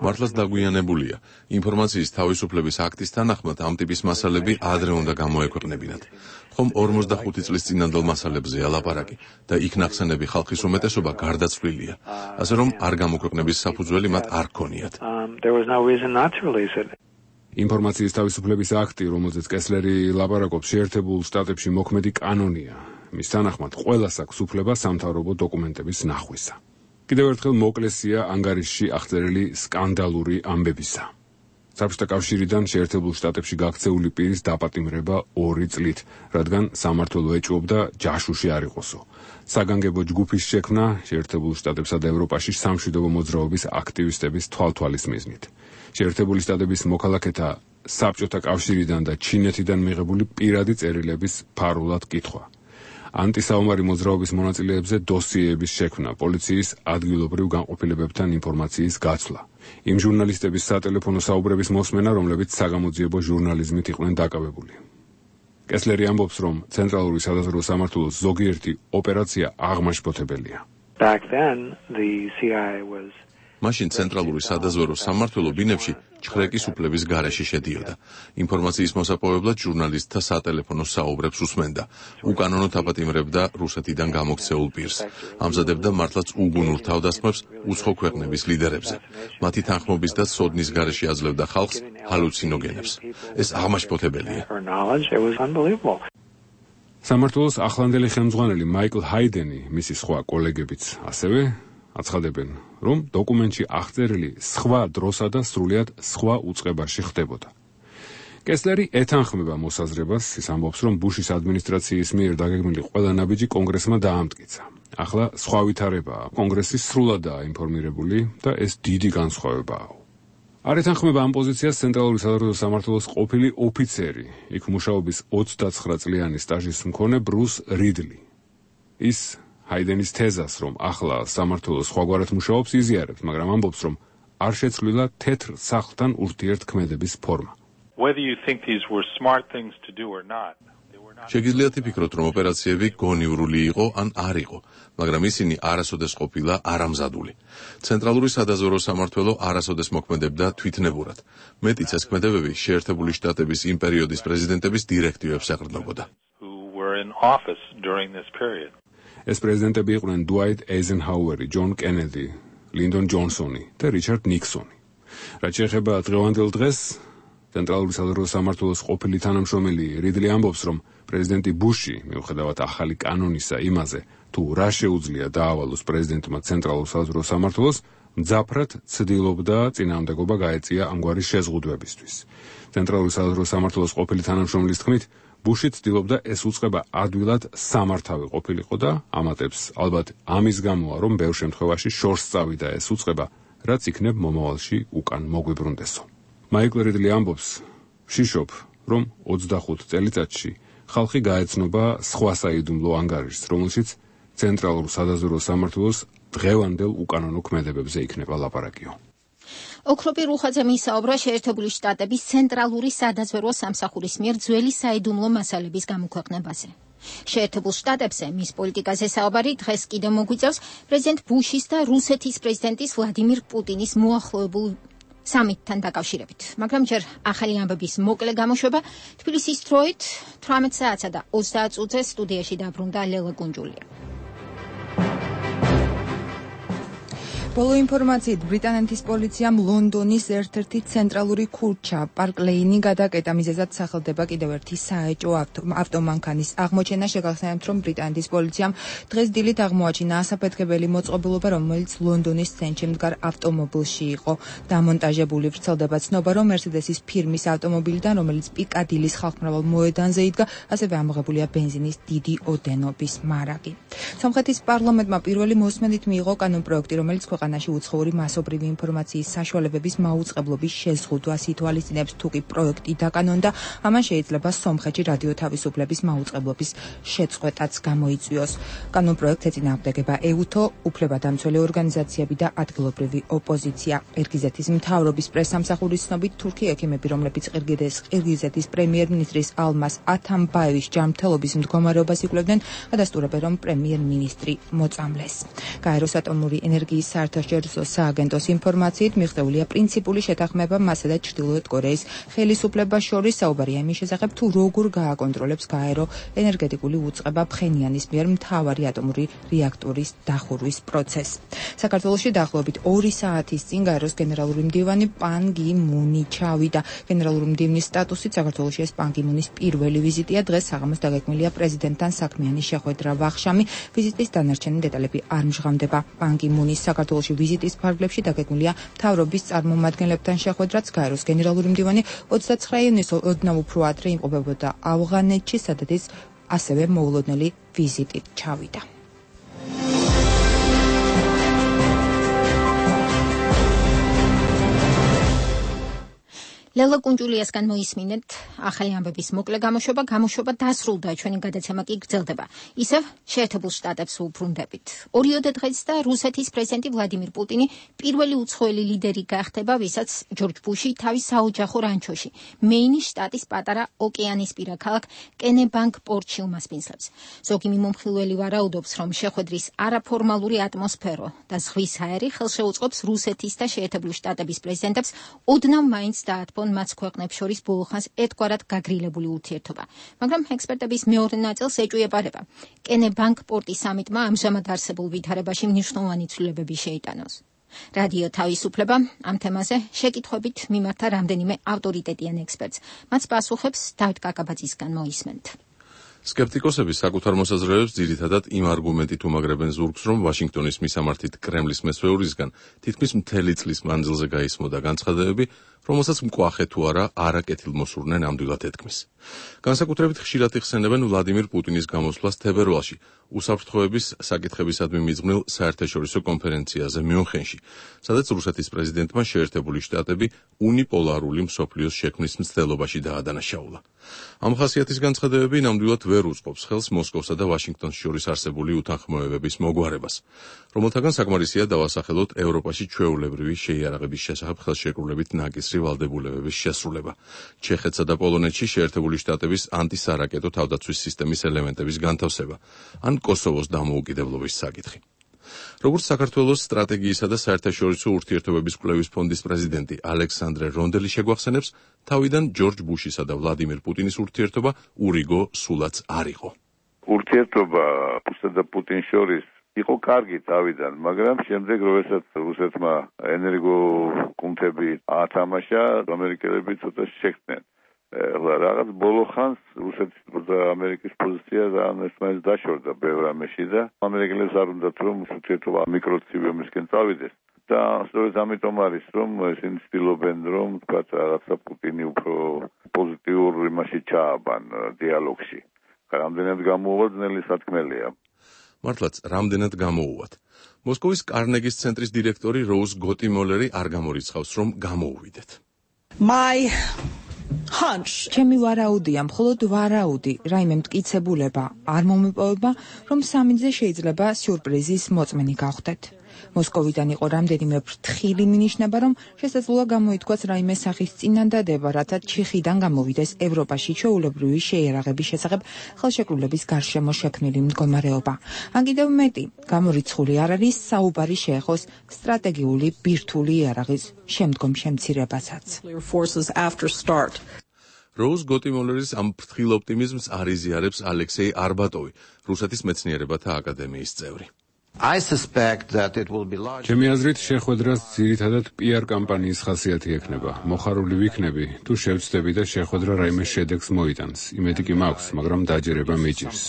მართლაც დაგვიანებულია. ინფორმაციის თავისუფლების აქტის თანახმად ამ ტიპის მასალები ადრე უნდა გამოექვეყნებინათ. ხომ 45 წლის წინანდელ მასალებზეა ლაპარაკი და იქ ნახსენები ხალხის უმეტესობა გარდაცვლილია, ასე რომ არ გამოქვეყნების საფუძველი მათ არ ჰქონიათ. ინფორმაციის თავისუფლების აქტი, რომელზეც კესლერი ლაპარაკობს, შეერთებულ შტატებში მოქმედი კანონია. მის თანახმად ყველას აქვს უფლება სამთავრობო დოკუმენტების ნახვისა. კიდევ ერთხელ მოკლესია ანგარიშში აღწერილი სკანდალური ამბებისა. საბჭოთა კავშირიდან შეერთებულ შტატებში გაქცეული პირის დაპატიმრება 2 წლით, რადგან სამმართველო ეჭვობდა ჯაშუში არ იყოსო. საგანგებო ჯგუფის შექმნა შეერთებულ შტატებსა და ევროპაში სამშვიდობო მოძრაობის აქტივისტების თვალთვალის მიზნით. შეერთებული შტატების მოქალაქეთა საბჭოთა კავშირიდან და ჩინეთიდან მიღებული პირადი წერილების ფარულად კითხვა. ანტისაომარი მოძრაობის მონაწილეებზე დოსიეების შექმნა, პოლიციის ადგილობრივ განყოფილებებთან ინფორმაციის გაცვლა. იმ ჟურნალისტების სატელეფონო საუბრების მოსმენა, რომლებიც საგამოძიებო ჟურნალიზმით იყვნენ დაკავებული. კესლერი ამბობს, რომ ცენტრალური სადაზვერვო სამმართველოს ზოგიერთი ოპერაცია აღმაშფოთებელია. მაშინ ცენტრალური სადაზვერვო სამმართველო ბინებში ჩხრეკის უფლების გარეშე შედიოდა. ინფორმაციის მოსაპოვებლად ჟურნალისტთა სატელეფონო საუბრებს უსმენდა. უკანონოდ აპატიმრებდა რუსეთიდან გამოქცეულ პირს. ამზადებდა მართლაც უგუნურ თავდასხმებს უცხო ქვეყნების ლიდერებზე. მათი თანხმობის და სოდნის გარეშე აძლევდა ხალხს ჰალუცინოგენებს. ეს აღმაშფოთებელია. სამმართველოს ახლანდელი ხელმძღვანელი მაიკლ ჰაიდენი, მისი სხვა კოლეგებიც ასევე აცხადებენ, რომ დოკუმენტში აღწერილი სხვა დროსა და სრულიად სხვა უწყებაში ხდებოდა. კესლერი ეთანხმება მოსაზრებას, ის ამბობს, რომ ბუშის ადმინისტრაციის მიერ დაგეგმილი ყველა ნაბიჯი კონგრესმა დაამტკიცა. ახლა სხვა ვითარებაა, კონგრესი სრულადაა ინფორმირებული და ეს დიდი განსხვავებაა. არ ეთანხმება ამ პოზიციას ცენტრალური სადაზვერვო სამმართველოს ყოფილი ოფიცერი, იქ მუშაობის 29 წლიანი სტაჟის მქონე ბრუს რიდლი. ის ჰაიდენის თეზას, რომ ახლა სამმართველო სხვაგვარად მუშაობს, იზიარებს, მაგრამ ამბობს, რომ არ შეცვლილა თეთრ სახლთან ურთიერთქმედების ფორმა. შეგიძლიათ იფიქროთ, რომ ოპერაციები გონივრული იყო ან არ იყო, მაგრამ ისინი არასოდეს ყოფილა არამზადული. ცენტრალური სადაზვერვო სამმართველო არასოდეს მოქმედებდა თვითნებურად. მეტიც ეს ქმედებები შეერთებული შტატების იმ პერიოდის პრეზიდენტების დირექტივებს ეყრდნობოდა. ეს პრეზიდენტები იყვნენ დუაიტ ეიზენჰაუერი, ჯონ კენედი, ლინდონ ჯონსონი და რიჩარდ ნიქსონი. რაც შეეხება დღევანდელ დღეს, ცენტრალური სადაზვერვო სამმართველოს ყოფილი თანამშრომელი რიდლი ამბობს, რომ პრეზიდენტი ბუში, მიუხედავად ახალი კანონისა იმაზე, თუ რა შეუძლია დაავალოს პრეზიდენტმა ცენტრალურ სადაზვერვო სამმართველოს, მძაფრად ცდილობდა წინააღმდეგობა გაეწია ამგვარი შეზღუდვებისთვის. ცენტრალური სადაზვერვო სამმართველოს ყოფილი თანამშრომლის თქმით, ბუში ცდილობდა ეს უწყება ადვილად სამართავი ყოფილიყო და ამატებს, ალბათ ამის გამოა, რომ ბევრ შემთხვევაში შორს წავიდა ეს უწყება, რაც იქნებ მომავალში უკან მოგვიბრუნდესო. მაიკლ რიდლი ამბობს, ვშიშობ, რომ 25 წელიწადში ხალხი გაეცნობა სხვა საიდუმლო ანგარიშს, რომელშიც ცენტრალურ სადაზვერვო სამმართველოს დღევანდელ უკანონო ქმედებებზე იქნება ლაპარაკიო. ოქროპი რუხაძემ ისაუბრა შეერთებული შტატების ცენტრალური სადაზვერვო სამსახურის მიერ ძველი საიდუმლო მასალების გამოქვეყნებაზე. შეერთებულ შტატებზე მის პოლიტიკაზე საუბარი დღეს კიდევ მოგვიწევს პრეზიდენტ ბუშის და რუსეთის პრეზიდენტის ვლადიმირ პუტინის მოახლოებულ სამიტთან დაკავშირებით. მაგრამ ჯერ ახალი ამბების მოკლე გამოშვება თბილისის დროით 18 საათსა და 30 წუთზე სტუდიაში დაბრუნდა ლელა კუნჯულია. ბოლო ინფორმაციით ბრიტანეთის პოლიციამ ლონდონის ერთ-ერთი ცენტრალური ქუჩა პარკ ლეინი გადაკეტა. მიზეზად სახელდება კიდევ ერთი საეჭვო ავტომანქანის აღმოჩენა. შეგახსენებთ, რომ ბრიტანეთის პოლიციამ დღეს დილით აღმოაჩინა ასაფეთქებელი მოწყობილობა, რომელიც ლონდონის ცენტრში მდგარ ავტომობილში იყო დამონტაჟებული. ვრცელდება ცნობა, რომ მერსედესის ფირმის ავტომობილიდან, რომელიც პიკადილის ხალხმრავალ მოედანზე იდგა, ასევე ამოღებულია ბენზინის დიდი ოდენობის მარაგი. სომხეთის პარლამენტმა პირველი მოსმენით მიიღო კანონპროექტი, რომელიც ქვეყანაში უცხოური მასობრივი ინფორმაციის საშუალებების მაუწყებლობის შეზღუდვას ითვალისწინებს. თუ კი პროექტი დაკანონდა, ამან შეიძლება სომხეთში რადიო თავისუფლების მაუწყებლობის შეწყვეტაც გამოიწვიოს. კანონპროექტს ეწინააღმდეგება ეუთო, უფლებადამცველი ორგანიზაციები და ადგილობრივი ოპოზიცია. ყირგიზეთის მთავრობის პრესსამსახურის ცნობით, თურქი ექიმები, რომლებიც ყირგიზეთის პრემიერ-მინისტრის ალმას ათამბაევის ჯანმრთელობის მდგომარეობას იკვლევდნენ, ადასტურებენ, რომ პრემიერ-მინისტრი მოწამლეს. გაეროს ატომური ენერგიის საერთაშორისო სააგენტოს ინფორმაციით მიღწეულია პრინციპული შეთანხმება მასა და ჩრდილოეთ კორეის ხელისუფლებას შორის. საუბარია იმის შესახებ, თუ როგორ გააკონტროლებს გაერო ენერგეტიკული უწყება ფხენიანის მიერ მთავარი ატომური რეაქტორის დახურვის პროცესს. საქართველოში დაახლოებით 2 საათის წინ გაეროს გენერალური მდივანი პან გი მუნი ჩავიდა. გენერალური მდივნის სტატუსით საქართველოში ეს პან გი მუნის პირველი ვიზიტია. დღეს საღამოს დაგეგმილია პრეზიდენტთან საქმიანი შეხვედრა ვახშამი. ვიზიტის დანარჩენი დეტალები არ მჟღავდება. პან გი მუნის საქართველოში ვიზიტის ფარგლებში დაგეგმილია მთავრობის წარმომადგენლებთან შეხვედრაც. გაეროს გენერალური მდივანი 29 იანვრის ოდნავ უფრო ადრე იმყოფებოდა ავღანეთში, სადაც ასევე მოულოდნელი ვიზიტით ჩავიდა. ლელა კუნჯულიასგან მოისმინეთ ახალი ამბების მოკლე გამოშვება დასრულდა, ჩვენი გადაცემა კი გრძელდება. ისევ შეერთებულ შტატებს უბრუნდებით. ორიოდე დღეს და რუსეთის პრეზიდენტი ვლადიმირ პუტინი პირველი უცხოელი ლიდერი გახდება, ვისაც ჯორჯ ბუში თავის საოჯახო რანჩოში, მეინის შტატის პატარა ოკეანისპირა ქალაქ კენებანკ-პორტში უმასპინძლებს. ზოგი მიმომხილველი ვარაუდობს, რომ შეხვედრის არაფორმალური ატმოსფერო და ზღვის ჰაერი ხელშეუწყობს რუსეთის და შეერთებული შტატების პრეზიდენტებს ოდნავ მაინც დაათბონ მათ ქვეყნებს შორის ბოლო ხანს ერთგვარად გაგრილებული ურთიერთობა. მაგრამ ექსპერტების მეორე ნაწილს ეჭვიებარება. კენებანკ-პორტის სამიტმა ამჟამად არსებულ ვითარებაში მნიშვნელოვანი ცვლილებები შეიტანოს. რადიო თავისუფლება ამ თემაზე შეკითხვებით მიმართა რამდენიმე ავტორიტეტიან ექსპერტს. მათ პასუხებს დავით კაკაბაძისგან მოისმენთ. სკეპტიკოსები საკუთარ მოსაზრებებს ძირითადად იმ არგუმენტით უმაგრებენ ზურგს, რომ ვაშინგტონის მისამართით კრემლის მესვეურისგან თითქმის მთელი წლის მანძილზე გაისმოდა განცხადებები, რომელსაც მკვახე თუ არა არაკეთილმოსურნე ნამდვილად ეთქმის. განსაკუთრებით ხშირად იხსენებენ ვლადიმირ პუტინის გამოსვლას თებერვალში, უსაფრთხოების საკითხებისადმი მიძღვნილ საერთაშორისო კონფერენციაზე მიუნხენში, სადაც რუსეთის პრეზიდენტმა შეერთებული შტატები უნიპოლარული მსოფლიოს შექმნის მცდელობაში დაადანაშაულა. ამ ხასიათის განცხადებები ნამდვილად ვერ უწყობს ხელს მოსკოვსა და ვაშინგტონს შორის არსებული უთანხმოებების მოგვარებას, რომელთაგან საკმარისია დავასახელოთ ევროპაში ჩვეულებრივი შეიარაღების შესახებ ხელშეკრულებით ნაკისრი ვალდებულებების შესრულება, ჩეხეთსა და პოლონეთში შეერთებული შტატების ანტისარაკეტო თავდაცვის სისტემის ელემენტების განთავსება, ან კოსოვოს დამოუკიდებლობის საკითხი. როგორც საქართველოს სტრატეგიისა და საერთაშორისო ურთიერთობების კვლევის ფონდის პრეზიდენტი ალექსანდრე რონდელი შეგვახსენებს, თავიდან ჯორჯ ბუშისა და ვლადიმირ პუტინის ურთიერთობა ურიგო სულაც არ იყო. ურთიერთობა ბუშსა და პუტინის შორის იყო კარგი თავიდან, მაგრამ შემდეგ როდესაც რუსეთმა ენერგოკუნთები ათამაშა, ამერიკელები ცოტა შეხვდნენ. რაღაც ბოლო ხანს რუსეთის და ამერიკის პოზიცია ერთმანეთს დაშორდა ბევრ რამეში და ამერიკელებს არ უნდათ რომ ურთიერთობა მიკროცივიუმისკენ წავიდეს და სწორედ ამიტომ არის რომ ისინი ცდილობენ რომ თქვა რაღაცა პუტინი უფრო პოზიტიურ იმაში ჩააბან დიალოგში. რამდენად გამოუვა ძნელი სათქმელია. მართლაც რამდენად გამოუვათ. მოსკოვის კარნეგის ცენტრის დირექტორი როუზ გოტიმოლერი არ გამორიცხავს რომ გამოუვიდეთ. ჩემი ვარაუდია, მხოლოდ ვარაუდი, რაიმე მტკიცებულება არ მომეპოვება, რომ სამიტზე შეიძლება სიურპრიზის მოწმენი გავხდეთ. მოსკოვიდან იყო რამდენიმე ფრთხილი მინიშნება, რომ შესაძლოა გამოითქვას რაიმე სახის წინადადება, რათა ჩიხიდან გამოვიდეს ევროპაში ჩვეულებრივი შეიარაღების შესახებ ხელშეკრულების გარშემო შექმნილი მდგომარეობა. ან კიდევ მეტი, გამორიცხული არ არის საუბარი შეეხოს სტრატეგიული ბირთვული იარაღის შემდგომ შემცირებასაც. როუზ გოტიმოლერის ამ ფრთხილ ოპტიმიზმს არიზიარებს ალექსეი არბატოვი, რუსეთის მეცნიერებათა აკადემიის წევრი. ჩემი აზრით შეხვედრას ძირითადად PR კამპანიის ხასიათი ექნება. მოხარული ვიქნები, თუ შევწდები და შეხვედრა რაიმე შედეგს მოიტანს. იმედი კი მაქვს, მაგრამ დაჯერება მიჭირს.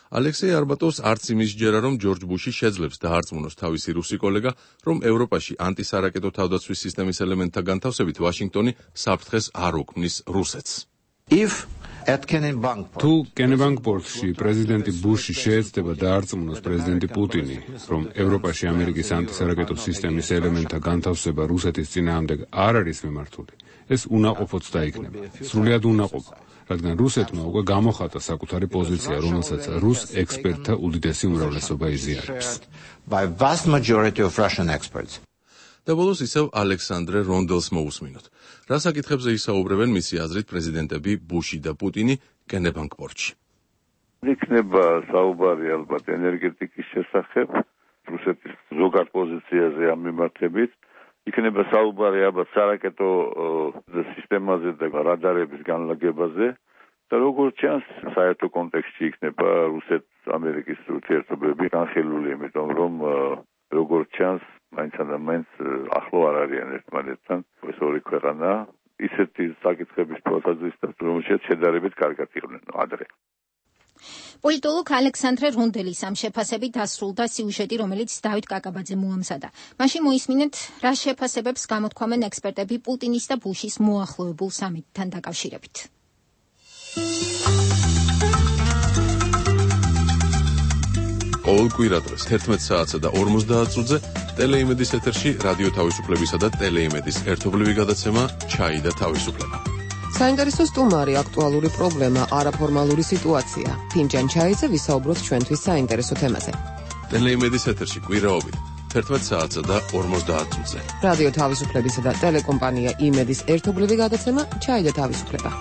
ალექსეი არბატოვს არც იმის ჯერა, რომ ჯორჯ ბუში შეძლებს დაარწმუნოს თავისი რუსი კოლეგა, რომ ევროპაში ანტისარაკეტო თავდაცვის სისტემის ელემენტთა განთავსებით ვაშინგტონი საფრთხეს არ უქმნის რუსეთს. თუ კენებანკ-პორტში პრეზიდენტი ბუში შეეცდება დაარწმუნოს პრეზიდენტი პუტინი, რომ ევროპაში ამერიკის ანტისარაკეტო სისტემის ელემენტთა განთავსება რუსეთის წინააღმდეგ არ არის მიმართული, ეს უნაყოფოც დაიქნება. სრულიად უნაყოფო. რადგან რუსეთმა უკვე გამოხატა საკუთარი პოზიცია, რომელსაც რუს ექსპერტთა უდიდესი უმრავლესობა იზიარებს. და ბოლოს ისევ ალექსანდრე რონდელს მოусმინოთ. რა საკითხებზე ისაუბრებენ მისი აზრით პრეზიდენტები ბუში და პუტინი კენებანკ-პორტში? იქნება საუბარი ალბათ ენერგეტიკის შესახებ, რუსეთის ზოგად პოზიციაზე ამ მიმართებით. იქნება საუბარი ალბათ სარაკეტო სისტემაზე და რადარების განლაგებაზე და როგორც ჩანს საერთო კონტექსტში იქნება რუსეთ-ამერიკის ურთიერთობები განხილული, იმიტომ რომ როგორც ჩანს მაინც ახლო არ არიან ერთმანეთთან ეს ორი ქვეყანა ისეთი საკითხების თვალსაზრისით, რომელშიც შედარებით კარგად იყვნენ ადრე. პოლიტოლოგ ალექსანდრე რონდელის ამ შეფასებით დასრულდა სიუჟეტი, რომელიც დავით კაკაბაძე მოამზადა. მაშინ მოისმინეთ, რა შეფასებებს გამოთქვამენ ექსპერტები პუტინის და ბუშის მოახლოებულ სამიტთან დაკავშირებით. ყოველ კვირადღეს 11 საათსა და 50 წუთზე ტელეიმედის ეთერში რადიო თავისუფლებისა და ტელეიმედის ერთობლივი გადაცემა ჩაი და თავისუფლება. საინტერესო სტუმარი, აქტუალური პრობლემა, არაფორმალური სიტუაცია. ფინჯან ჩაიზე ვისაუბროთ ჩვენთვის საინტერესო თემაზე. ტელეიმედის ეთერში კვირაობით 11 საათსა და 50 წუთზე. რადიო თავისუფლებისა და ტელეკომპანია იმედის ერთობლივი გადაცემა ჩაი და თავისუფლება.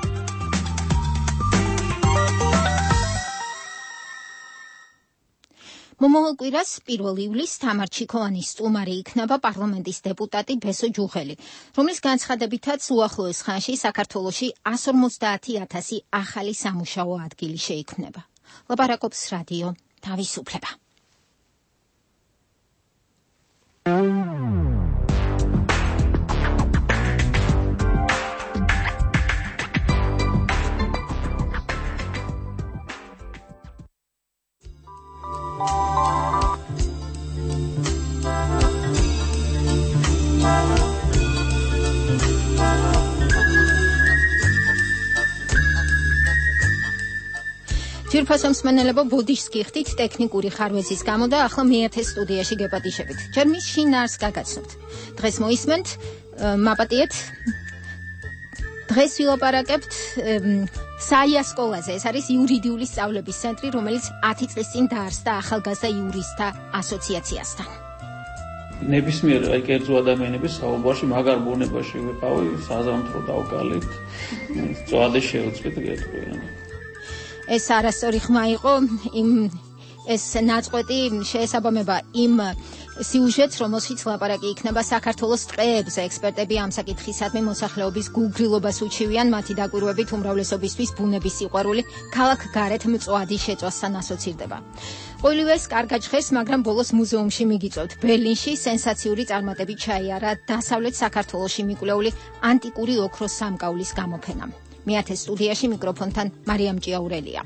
მომავალ კვირას 1 ივლისს თამარ ჩიქოვანის სტუმარი იქნება პარლამენტის დეპუტატი ბესო ჯუღელი, რომლის განცხადებითაც უახლოეს ხანში საქართველოში 150,000 ახალი სამუშაო ადგილი შეიქმნება. ლაპარაკობს რადიო თავისუფლება. ძირფასო მსმენელებო, ბოდიშს გიხდით ტექნიკური ხარვეზის გამო და ახლა მეათე სტუდიაში გეპატიშებით. ჯერ მის შინაარს გაგაცნობთ. დღეს მოისმენთ, მაპატიეთ. დღეს ვილაპარაკებთ საიას სკოლაზე. ეს არის იურიდიული სწავლების ცენტრი, რომელიც 10 წლის წინ დაარსდა ახალგაზრდა იურისტთა ასოციაციასთან. ნებისმიერ კერძო ადამიანების საუბარში მაგარ ბუნებაში ვიყავი, საზამთრო დავკალით, წვადი შევწყვით გეტყვიან. ეს არასწორი ხმა იყო, ეს ნაწყვეტი შეესაბამება იმ სიუჟეტს, რომელშიც ლაპარაკი იქნება საქართველოს ტყეებზე. ექსპერტები ამ საკითხისადმი მოსახლეობის გულგრილობას უჩივიან, მათი დაკვირვებით უმრავლესობისთვის ბუნების სიყვარული ქალაქ გარეთ მწვადის შეწვასთან ასოცირდება. ყოველივეს კარგად ჟღერს, მაგრამ ბოლოს მუზეუმში მიგიწევთ. ბერლინში სენსაციური წარმატებით ჩაიარა დასავლეთ საქართველოში მიკვლეული ანტიკური ოქროს სამკაულის გამოფენა. მეათე სტუდიაში მიკროფონთან მარიამ ჭიაურელია.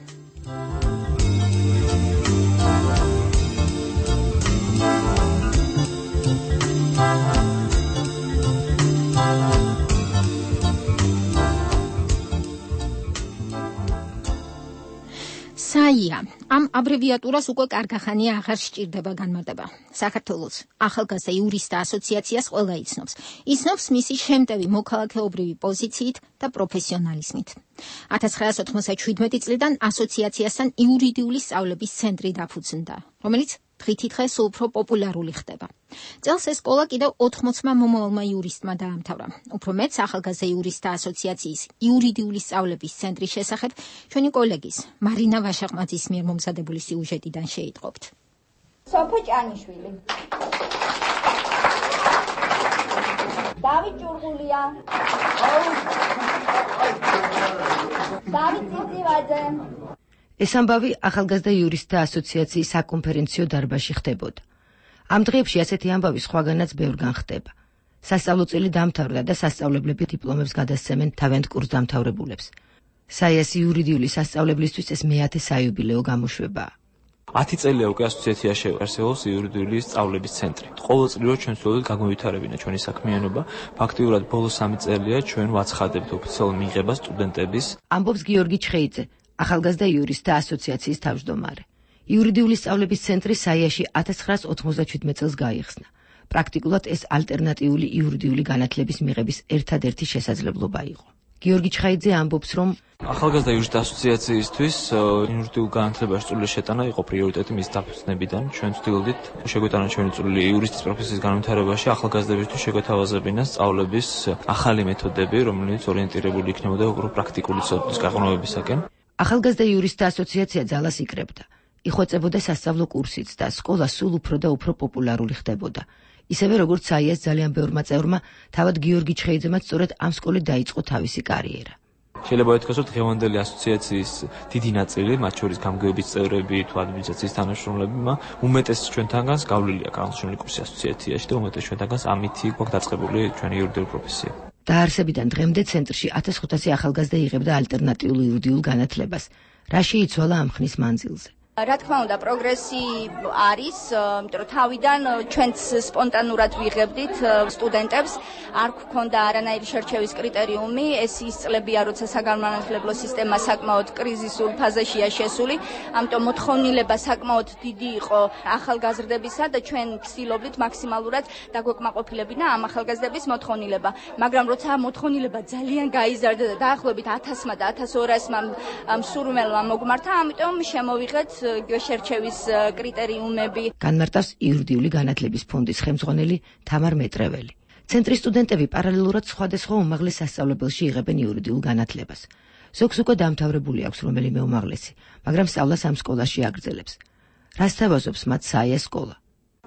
საია. ამ აბრევიატურას უკვე კარგახანია აღარ სჭირდება განმარტება. საქართველოს ახალგაზრდა იურისტთა ასოციაციას ყველა იცნობს. იცნობს მისი შემტევი მოქალაქეობრივი პოზიციით და პროფესიონალიზმით. 1997 წლიდან ასოციაციასთან იურიდიული სწავლების ცენტრი დაფუძნდა. რომელიც დღითიდღე სულ უფრო პოპულარული ხდება. წელს ეს სკოლა კიდევ 80-მა მომავალმა იურისტმა დაამთავრა. უფრო მეც ახალგაზრდა იურისტთა ასოციაციის იურიდიული სწავლების ცენტრის შესახებ ჩვენი კოლეგის მარინა ვაშაყმაძის მიერ მომზადებული სიუჟეტიდან შეიტყობთ. სოფო ჭანიშვილი. დავით ჭურღულია. დავით წიწივაძე. ეს ამბავი ახალგაზრდა იურისტთა ასოციაციის საკონფერენციო დარბაზში ხდებოდა. ამ დღეებში ასეთი ამბავი სხვაგანაც ბევრგან ხდება. სასწავლო წელი დამთავრდა და სასწავლებლები დიპლომებს გადასცემენ თავიანთ კურსდამთავრებულებს. საიას იურიდიული სასწავლებლისთვის ეს მე-10 საიუბილეო გამოშვებაა. 10 წელია უკვე ასოციაციაში არსებობს იურიდიული სწავლების ცენტრი. ყოველწლიურად ჩვენ ვცდილობთ გამოვითარებინა ჩვენი საქმიანობა. ფაქტიურად ბოლო 3 წელია ჩვენ ვაცხადებთ ოფიციალურ მიღებას სტუდენტების. ამბობს გიორგი ჩხეიძე, ახალგაზრდა იურისტთა ასოციაციის თავმჯდომარე. იურიდიული სწავლების ცენტრი საიაში 1997 წელს გაიხსნა. პრაქტიკულად ეს ალტერნატიული იურიდიული განათლების მიღების ერთადერთი შესაძლებლობა იყო. გიორგი ჩხაიძე ამბობს, რომ ახალგაზრდა იურისტთა ასოციაციისთვის იურიდიულ განათლებაში წვლილი შეტანა იყო პრიორიტეტი მის დაფუძნებიდან. ჩვენ ვცდილობდით შეგვეტანა ჩვენი წვლილი იურისტის პროფესიის განვითარებაში, ახალგაზრდებისთვის შეგვეთავაზებინა სწავლების ახალი მეთოდები, რომელიც ორიენტირებული იქნებოდა უფრო პრაქტიკული ცოდნის გაღრმავებისაკენ. ახალგაზრდა იურისტთა ასოციაცია ძალას იკრებდა. იხვეწებოდა სასწავლო კურსიც და სკოლა სულ უფრო და უფრო პოპულარული ხდებოდა. ისევე როგორც საიას ძალიან ბევრმა წევრმა, თავად გიორგი ჩხეიძემაც სწორედ ამ სკოლით დაიწყო თავისი კარიერა. შეიძლება ითქვას, რომ დღევანდელი ასოციაციის დიდი ნაწილი, მათ შორის გამგეობის წევრები თუ ადმინისტრაციის თანამშრომლებმა, უმეტეს ჩვენთანგანს გავლილია განსაკუთრებული კურსი ასოციაციაში და უმეტეს ჩვენთანგანს ამითი გვაქვს დაწყებული ჩვენი იურიდიული პროფესია. დაარსებიდან დღემდე ცენტრში 1500 ახალგაზრდა იღებდა ალტერნატიულ იურიდიულ განათლებას. რა შეიცვალა ამ ხნის მანძილზე? რა თქმა უნდა, პროგრესი არის, იმიტომ რომ თავიდან ჩვენც სპონტანურად ვიღებდით სტუდენტებს, არ გვქონდა არანაირი შერჩევის კრიტერიუმი, ეს ის წლებია, როცა საგანმანათლებლო სისტემა საკმაოდ კრიზისულ ფაზაშია შესული, ამიტომ მოთხოვნილება საკმაოდ დიდი იყო ახალგაზრდებისა და ჩვენ ვცდილობდით მაქსიმალურად დაგვეკმაყოფილებინა ამ ახალგაზრდების მოთხოვნილება. მაგრამ როცა მოთხოვნილება ძალიან გაიზარდა და დაახლოებით 1000-მა და 1200-მა მსურველმა მოგმართა, ამიტომ შემოვიღეთ შერჩევის კრიტერიუმები. განმარტავს იურიდიული განათლების ფონდის ხელმძღვანელი თამარ მეტრეველი. ცენტრის სტუდენტები პარალელურად სხვადასხვა უმაღლეს სასწავლებელში იღებენ იურიდიულ განათლებას. ზოგს უკვე დამთავრებული აქვს რომელიმე უმაღლესი, მაგრამ სწავლას ამ სკოლაში აგრძელებს. რას თავაზობს მათ საიას სკოლა?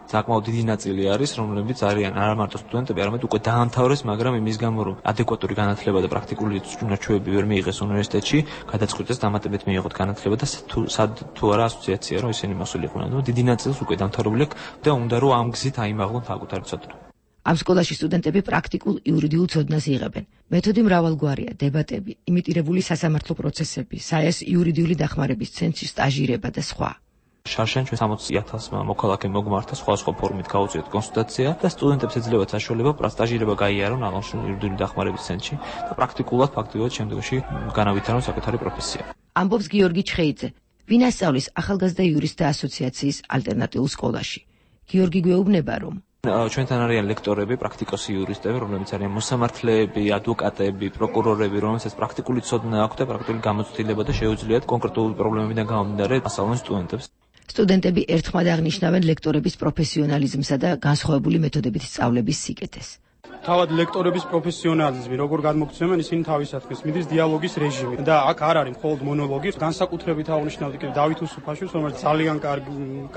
საკმაოდ დიდი ნაწილი არის, რომლებიც არიან არა მარტო სტუდენტები, არამედ უკვე დაამთავრეს, მაგრამ იმის გამო, რომ ადეკვატური განათლება და პრაქტიკული უნარჩვევები ვერ მიიღეს უნივერსიტეტში, გადაწყვიტეს დამატებით მიიღოთ განათლება და თუ არა ასოციაცია, რომ ისინი მოსულიყვნენ, რომ დიდი ნაწილს უკვე დამთავრებული აქვს და უნდა რომ ამ გზით აიმაღლონ საკუთარი ცოდნა. ამ სკოლაში სტუდენტები პრაქტიკულ იურიდიულ ცოდნას იღებენ. მეთოდი მრავალგვარია: დებატები, იმიტირებული სასამართლო პროცესები, საიას იურიდიული დახმარების ცენტრის სტაჟირება და სხვა. შარშან ჩვენ 60,000 მოქალაქე მოგმართა სხვადასხვა ფორმით გაუწიოთ კონსულტაცია და სტუდენტებს ეძლებათ საშუალება სტაჟირება გაიარონ აღნიშნულ იურიდიული დახმარების ცენტრში და პრაქტიკულად ფაქტიურად შემდგომში განავითარონ საკუთარი პროფესია. ამბობს გიორგი ჩხეიძე, ვინ ასწავლის ახალგაზრდა იურისტთა ასოციაციის ალტერნატიულ სკოლაში. გიორგი გვეუბნება, რომ ჩვენთან არიან ლექტორები, პრაქტიკოსი იურისტები, რომლებიც არიან მოსამართლეები, ადვოკატები, პროკურორები, რომელსაც პრაქტიკული ცოდნა აქვთ და პრაქტიკული გამოცდილება და შეუძლიათ კონკრეტული პრობლემებიდან გამომდინარე ასწავლონ სტუდენტებს. სტუდენტები ერთხმად აღნიშნავენ ლექტორების პროფესიონალიზმსა და განსხვავებული მეთოდებით სწავლების სიკეთეს. თავად ლექტორების პროფესიონალიზმი, როგორ გადმოგცემენ, ისინი თავისათქმის მიდის დიალოგის რეჟიმი და აქ არ არის მხოლოდ მონოლოგი, განსაკუთრებით აღნიშნავდი კიდევ დავით უსუფაშვილს, რომელიც ძალიან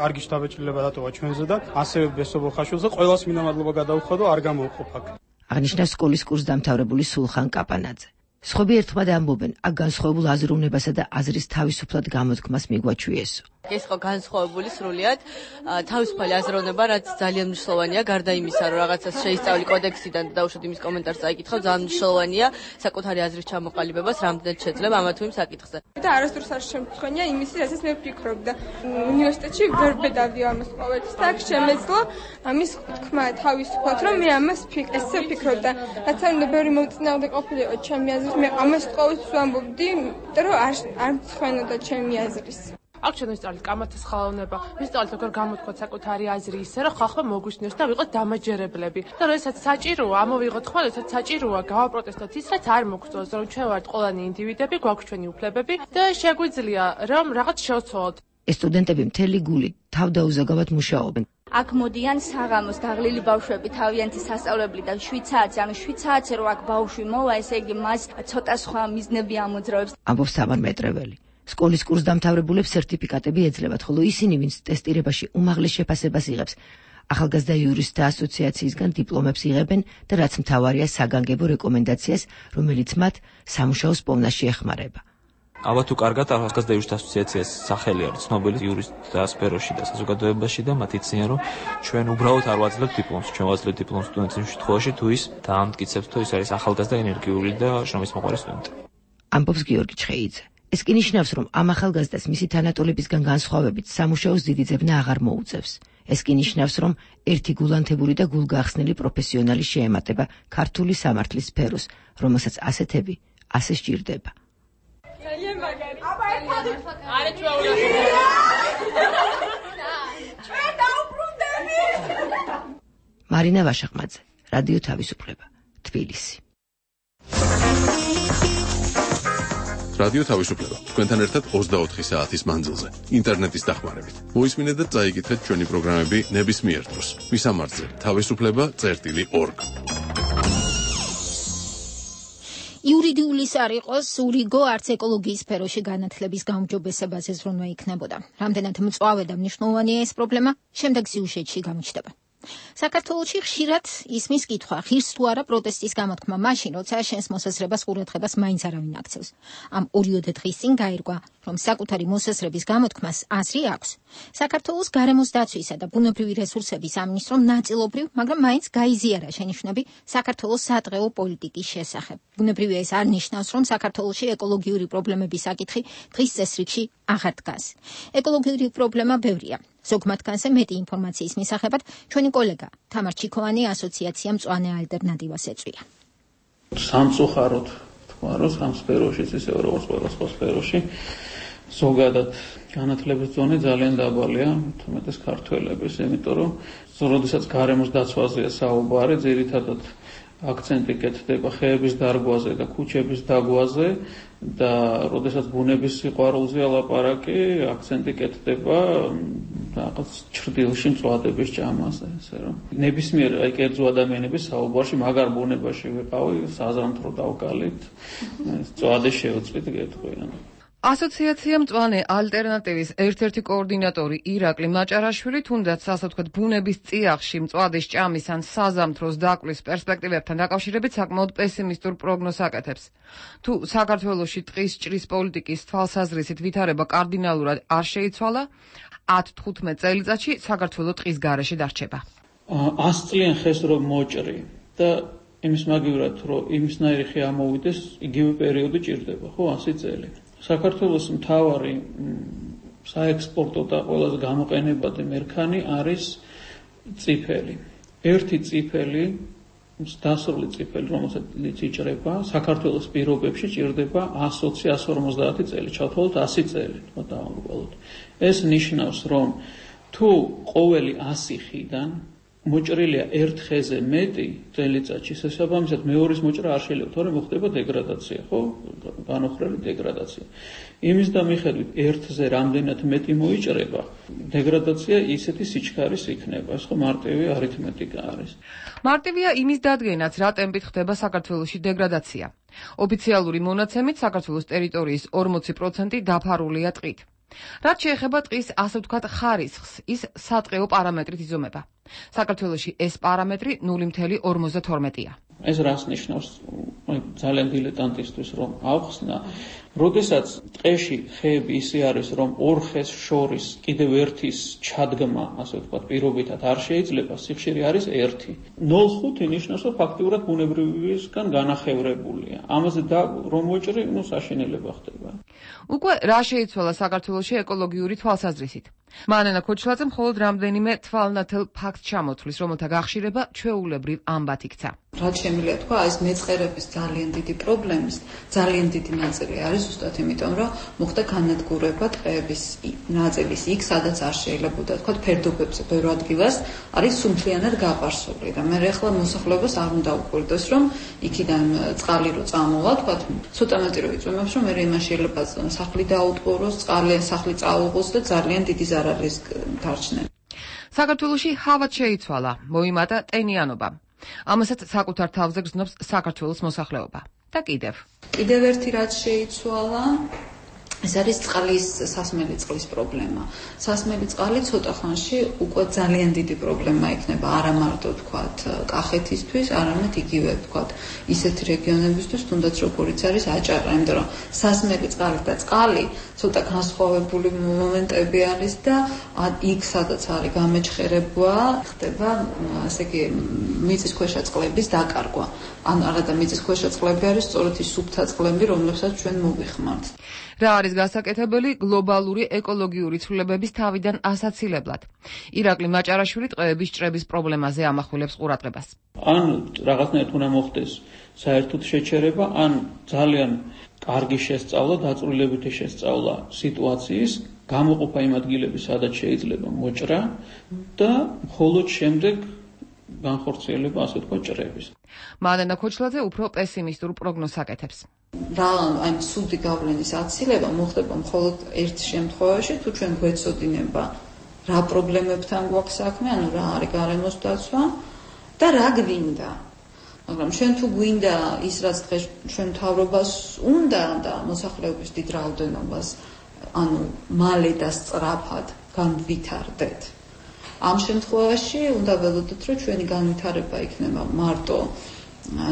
კარგი შთაბეჭდილება დატოვა ჩვენზე და ასევე ბესობო ხაშვილზე, ყველას მინდა მადლობა გადაუხვა და არ გამოვყოფ აქ. აღნიშნავს სკოლის კურსდამთავრებული სულხან კაპანაძე. სხვები ერთხმად ამბობენ, აქ განსხვავებულ აზროვნებასა და აზრის თავისუფლად გამოთქმას მიგვაჩვიესო. ეს ხო განსხვავებული სრულიად თავისუფალი აზროვნება, რაც ძალიან მნიშვნელოვანია, გარდა იმისა, რომ რაღაცას შეისწავლი კოდექსიდან და დაუშვათ იმის კომენტარს წაიკითხავ, ძალიან მნიშვნელოვანია საკუთარი აზრის ჩამოყალიბებას რამდენად შეძლებ ამა თუ იმ საკითხზე. და არასდროს არ შემთხვევია იმისი, რასაც მე ვფიქრობ და უნივერსიტეტში ვერ ბედავდი ამას ყოველთვის და აქ შემეძლო ამის თქმა თავისუფლად, რომ მე ამას ესე ვფიქრობ და რაც არ უნდა ბევრი მოწინააღმდეგე ყოფილიყო ჩემი აზრით, მე ამას ყოველთვის ვამბობდი, რომ არ მცხვენოდა ჩემი აზრის. აქ ჩვენ ვისწავლეთ კამათის ხალოვნება, ვისწავლეთ როგორ გამოთქვათ საკუთარი აზრი ისე, რომ ხალხმა მოგვისმინოს და ვიყოთ დამაჯერებლები. და როდესაც საჭიროა, ამოვიღოთ ხმა, როდესაც საჭიროა გავაპროტესტოთ ის, რაც არ მოგწონს, რომ ჩვენ ვართ ყველანი ინდივიდები, გვაქვს ჩვენი უფლებები და შეგვიძლია რომ რაღაც შევცვალოთ. ეს სტუდენტები მთელი გულით თავდაუზაგავად მუშაობენ. აქ მოდიან საღამოს გაღლილი ბავშვები თავიანთი სასწავლებლიდან 7 საათზე, ანუ 7 საათზე რო აქ ბავშვი მოვა, ესე იგი მას ცოტა სხვა მიზნები ამოძრავებს. ამბობს თამარ მეტრეველი. სკოლის კურსდამთავრებულებს სერტიფიკატები ეძლევათ, ხოლო ისინი, ვინც ტესტირებაში უმაღლეს შეფასებას იღებს, ახალგაზრდა იურისტთა ასოციაციისგან დიპლომებს იღებენ და რაც მთავარია საგანგებო რეკომენდაციას, რომელიც მათ სამუშაოს პოვნაში ეხმარება. ალბათ თუ კარგად ახალგაზრდა იურისტთა ასოციაციას სახელი არის ცნობილი იურისტთა სფეროში და საზოგადოებაში და მათ იციან რომ ჩვენ უბრალოდ არ ვაძლევთ დიპლომს, ჩვენ ვაძლევთ დიპლომს სტუდენტის შემთხვევაში თუ ის დაამტკიცებს თუ ის არის ახალგაზრდა ენერგიული და შრომისმოყვარე სტუდენტი. ამბობს გიორგი ჩხეიძე. ეს კი ნიშნავს, რომ ამ ახალგაზრდას მისი თანატოლებისგან განსხვავებით სამუშაოს დიდი ძებნა აღარ მოუწევს. ეს კი ნიშნავს, რომ ერთი გულანთებული და გულგახსნილი პროფესიონალი შეემატება ქართული სამართლის სფეროს, რომელსაც ასეთები ასე სჭირდება. მარინა ვაშაყმაძე, რადიო თავისუფლება, თბილისი. რადიო თავისუფლება. თქვენთან ერთად 24 საათის მანძილზე, ინტერნეტის დახმარებით. მოისმინეთ და წაიკითხეთ ჩვენი პროგრამები ნებისმიერ დროს. მისამართზე თავისუფლება.org. იურიდიulis არ იყოს, ურიგო არც ეკოლოგიის სფეროში განათლების გაუმჯობესებაზე ზრუნვა იქნებოდა. რამდენად მწვავე და მნიშვნელოვანია ეს პრობლემა, შემდეგ სიუჟეტში გამიჩნდება. საქართველოში ხშირად ისმის კითხვა, ღირს თუ არა პროტესტის გამოთქმა მაშინ, როცა შენს მოსაზრებას ყურადღებას მაინც არავინ აქცევს. ამ 2 დღის წინ გაირკვა, რომ საკუთარი მოსაზრების გამოთქმას აზრი აქვს. საქართველოს გარემოს დაცვისა და ბუნებრივი რესურსების სამინისტრომ ნაწილობრივ, მაგრამ მაინც გაიზიარა შენიშვნები საქართველოს სადღეო პოლიტიკის შესახებ. ბუნებრივია ეს არ ნიშნავს, რომ საქართველოში ეკოლოგიური პრობლემების საკითხი დღის წესრიგში აღარ დგას. ეკოლოგიური პრობლემა ბევრია. ზოგმათგანზე მეტი ინფორმაციის მისაღებად ჩვენი კოლეგა თამარ ჩიქოვანი ასოციაცია მწვანე ალტერნატივას ეწვია. სამწუხაროდ თქვა, რომ სამ სფეროშიც ისე როგორც ყველა სხვა სფეროში ზოგადად განათლების ზონე ძალიან დაბალია, თუმეტეს ქართველების, იმიტომ რომ როდესაც გარემოს დაცვაზეა საუბარი, ძირითადად აქცენტი კეთდება ხეების დარგვაზე და ქუჩების დაგვაზე და როდესაც ბუნების სიყვარულზეა ლაპარაკი, აქცენტი კეთდება რაღაც ჩრდილში მწვადების ჭამაზე, ესე რომ ნებისმიერ აი კერძო ადამიანების საუბარში მაგარ ბუნებაში ვიყავი, საზამთრო დავკალით, მწვადი შევწვით გეტყვიან. ასოციაცია მწვანე ალტერნატივის ერთ-ერთი კოორდინატორი ირაკლი მაჭარაშვილი თუნდაც ასე ვთქვათ ბუნების წიაღში მწვადის ჭამის ან საზამთროს დაკლის პერსპექტივებთან დაკავშირებით საკმაოდ პესიმისტურ პროგნოზს აკეთებს. თუ საქართველოში ტყის ჭრის პოლიტიკის თვალსაზრისით ვითარება კარდინალურად არ შეიცვალა, 10-15 წელიწადში საქართველო ტყის გარეშე დარჩება. 100 წლიან ხეს რომ მოჭრი და იმის მაგივრად რომ იმისნაირი ხე ამოვიდეს, იგივე პერიოდი ჭირდება, ხო, 100 წელი. საქართველოს მთავარი საექსპორტო და ყველაზე გამოყენებადი მერქანი არის წიფელი. ერთი წიფელი, დასრული წიფელი, რომელსაც იჭრება, საქართველოს პირობებში ჭირდება 120-150 წელი, ჩავთვალოთ 100 წელი, თქო დავამბობთ. ეს ნიშნავს, რომ თუ ყოველი 100 ხიდან მოჭრილია ერთ ხეზე მეტი წელიწადში, შესაბამისად მეორის მოჭრა არ შეიძლება, თორემ მოხდება დეგრადაცია, ხო? განუხრელი დეგრადაცია. იმის და მიხედვით ერთზე რამდენად მეტი მოიჭრება, დეგრადაცია ისეთი სიჩქარის იქნება, ეს ხო მარტივი არითმეტიკა არის. მარტივია იმის დადგენაც, რა ტემპით ხდება საქართველოში დეგრადაცია. ოფიციალური მონაცემით საქართველოს ტერიტორიის 40% დაფარულია ტყით. რაც შეეხება ტყის ასე ვთქვათ ხარისხს, ის სატყეო პარამეტრით იზომება. საქართველოში ეს პარამეტრი 0.52-ია. ეს რას ნიშნავს? ძალიან დილეტანტისთვის რომ ავხსნა, როდესაც ტყეში ხეები ისე არის, რომ ორ ხეს შორის კიდევ ერთის ჩადგმა, ასე ვთქვათ, პირობითად არ შეიძლება, სიხშირე არის 1. 0.5 ნიშნავს, რომ ფაქტიურად ბუნებრივისგან განახევრებულია. ამაზე და რომ მოჭრი, საშინელება ხდება. უკვე რა შეიცვალა საქართველოში ეკოლოგიური თვალსაზრისით? მანენა ქოჩლაძე მხოლოდ რამდენიმე თვალნათელ ფაქტ ჩამოთვლის, რომელთა გახშირება ჩვეულებრივ ამბად იქცა. რაც შემიძლია თქვა, ეს მეწყერების ძალიან დიდი პრობლემის ძალიან დიდი ნაწილი არის ზუსტად იმიტომ, რომ მოხდა განადგურება ტყეების ნაწილის იქ, სადაც არ შეიძლებოდა თქვა ფერდობებზე ბევრ ადგილას არის სუმთლიანად გაპარსული და მე ახლა მოსახლეობას არ უნდა უყვირდეს, რომ იქიდან წყალი რო წამოვა, თქვა ცოტა მეტი რო იწვიმებს, რომ მე იმას შეიძლება სახლი დაუტყუროს, სახლი წაუღოს და ძალიან დიდი ზარალის დარჩნენ. საქართველოში ჰავა შეიცვალა, მოიმატა ტენიანობა. ამასაც საკუთარ თავზე გრძნობს საქართველოს მოსახლეობა. და კიდევ ერთი რაც შეიცვალა, ეს არის წყლის სასმელი წყლის პრობლემა. სასმელი წყალი ცოტა ხანში უკვე ძალიან დიდი პრობლემა იქნება, არა მარტო თქვათ კახეთისთვის, არამედ იგივე თქვათ ისეთ რეგიონებისთვის, თუნდაც როგორიც არის აჭარა, იმიტომ რომ სასმელი წყალი და წყალი ცოტა განსხვავებული მომენტები არის და იქ სადაც არის გამეჩხერება, ხდება ასე იგი მიწისქვეშა წყლების დაკარგვა. ან არა და მიწისქვეშა წყლები არის სწორედ ის სუფთა წყლები, რომლებსაც ჩვენ მოვიხმართ. რა არის გასაკეთებელი გლობალური ეკოლოგიური ცვლილებების თავიდან ასაცილებლად? ირაკლი მაჭარაშვილი ტყეების ჭრების პრობლემაზე ამახვილებს ყურადღებას. ან რაღაცნაირად უნდა მოხდეს საერთოდ შეჩერება, ან ძალიან კარგი შესწავლა, დაწვრილებითი შესწავლა სიტუაციის, გამოყოფა იმ ადგილების, სადაც შეიძლება მოჭრა და მხოლოდ შემდეგ განხორციელება, ასე თქვა, ჭრების. მანენა ქოჩლაძე უფრო პესიმისტურ პროგნოზს აკეთებს. აი ცუდი გავლენის აცილება მოხდება მხოლოდ ერთ შემთხვევაში, თუ ჩვენ გვეცოდინება რა პრობლემებთან გვაქვს საქმე, ანუ რა არის გარემოს დაცვა და რა გვინდა. მაგრამ ჩვენ თუ გვინდა ის, რაც დღეს ჩვენ მთავრობას უნდა და მოსახლეობის დიდ რაოდენობას, ანუ მალე და სწრაფად განვითარდეთ. ამ შემთხვევაში უნდა ველოდოთ, რომ ჩვენი განვითარება იქნება მარტო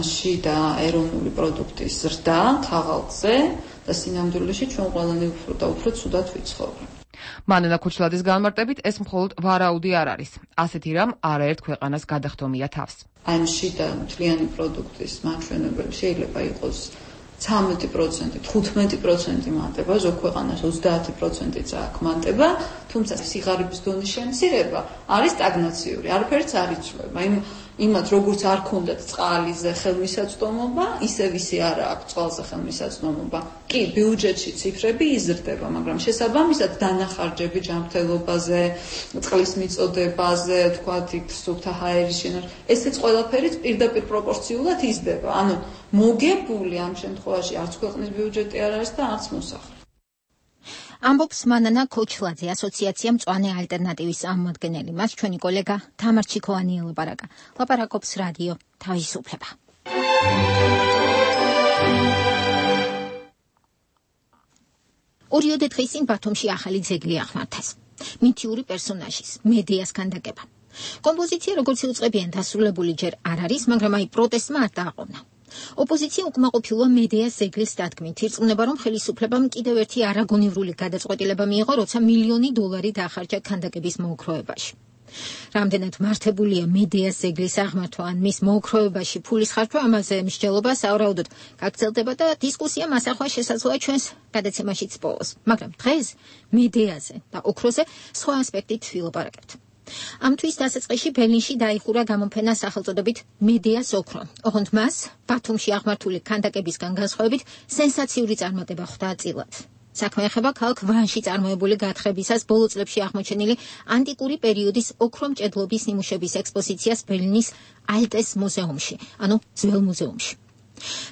შიდა ეროვნული პროდუქტის ზრდა ქაღალდზე და სინამდვილეში ჩვენ ყველანი უფრო და უფრო ცუდად ვიცხოვრობთ. მანენა ქოჩლაძის განმარტებით ეს მხოლოდ ვარაუდი არ არის. ასეთი რამ არაერთ ქვეყანას გადახდომია თავს. აი შიდა მთლიანი პროდუქტის მაჩვენებელი შეიძლება იყოს 13%, 15% მატება, ზოგ ქვეყანას 30%-იც აქვს მატება, თუმცა სიღარიბის დონის შემცირება არის სტაგნაციური, არაფერიც არ იცვლება. იმათ როგორც არ ქონდათ წყალიზე ხელმისაწვდომობა, ისევ ისე არ აქვს წყალზე ხელმისაწვდომობა. კი, ბიუჯეტში ციფრები იზრდება, მაგრამ შესაბამისად დანახარჯები ჯანმრთელობაზე, წყლის მიწოდებაზე, თქვათ, სუფთა ჰაერის შენარჩუნებაზე, ესეც ყველაფერი პირდაპირ პროპორციულად იზრდება. ანუ მოგებული ამ შემთხვევაში არც ქვეყნის ბიუჯეტი არ არის და არც მოსახლე. ამბობს მანენა ქოჩლაძე, ასოციაცია მწვანე ალტერნატივის წარმომადგენელი. მას ჩვენი კოლეგა თამარ ჩიქოვანი ელაპარაკა. ლაპარაკობს რადიო თავისუფლება. ორიოდე დღის წინ ბათუმში ახალი ძეგლი აღმართეს. მითიური პერსონაჟის, მედეას ქანდაკება. კომპოზიცია როგორც იუწყებიან დასრულებული ჯერ არ არის, მაგრამ აი პროტესტმა არ დააყოვნა. ოპოზიცია უკმაყოფილოა მედეას ზეგლის დადგმით. ირწმუნება, რომ ხელისუფლებამ კიდევ ერთი არაგონივრული გადაწყვეტილება მიიღო, როცა $1 მილიონი დაახარჯა ქანდაკების მოოქროებაში. რამდენად მართებულია მედეას ზეგლის აღმართვა ან მის მოოქროებაში ფულის ხარჯვა, ამაზე მსჯელობა სავარაუდოდ გაგრძელდება და დისკუსია მასახვა შესაძლოა ჩვენს გადაცემაშიც პოვოს. მაგრამ დღეს მედეაზე და ოქროზე სხვა ასპექტით ვილაპარაკებთ. ამ თვის დასაწყისში ბერლინში დაიხურა გამოფენა სახელწოდებით მედეას ოქრო. ოღონდ მას ბათუმში აღმართული ქანდაკებისგან განსხვავებით სენსაციური წარმატება ხვდა წილად. საქმე ეხება ქალაქ ვანში წარმოებული გათხრებისას ბოლო წლებში აღმოჩენილი ანტიკური პერიოდის ოქრომჭედლობის ნიმუშების ექსპოზიციას ბერლინის ალტეს მუზეუმში, ანუ ძველ მუზეუმში.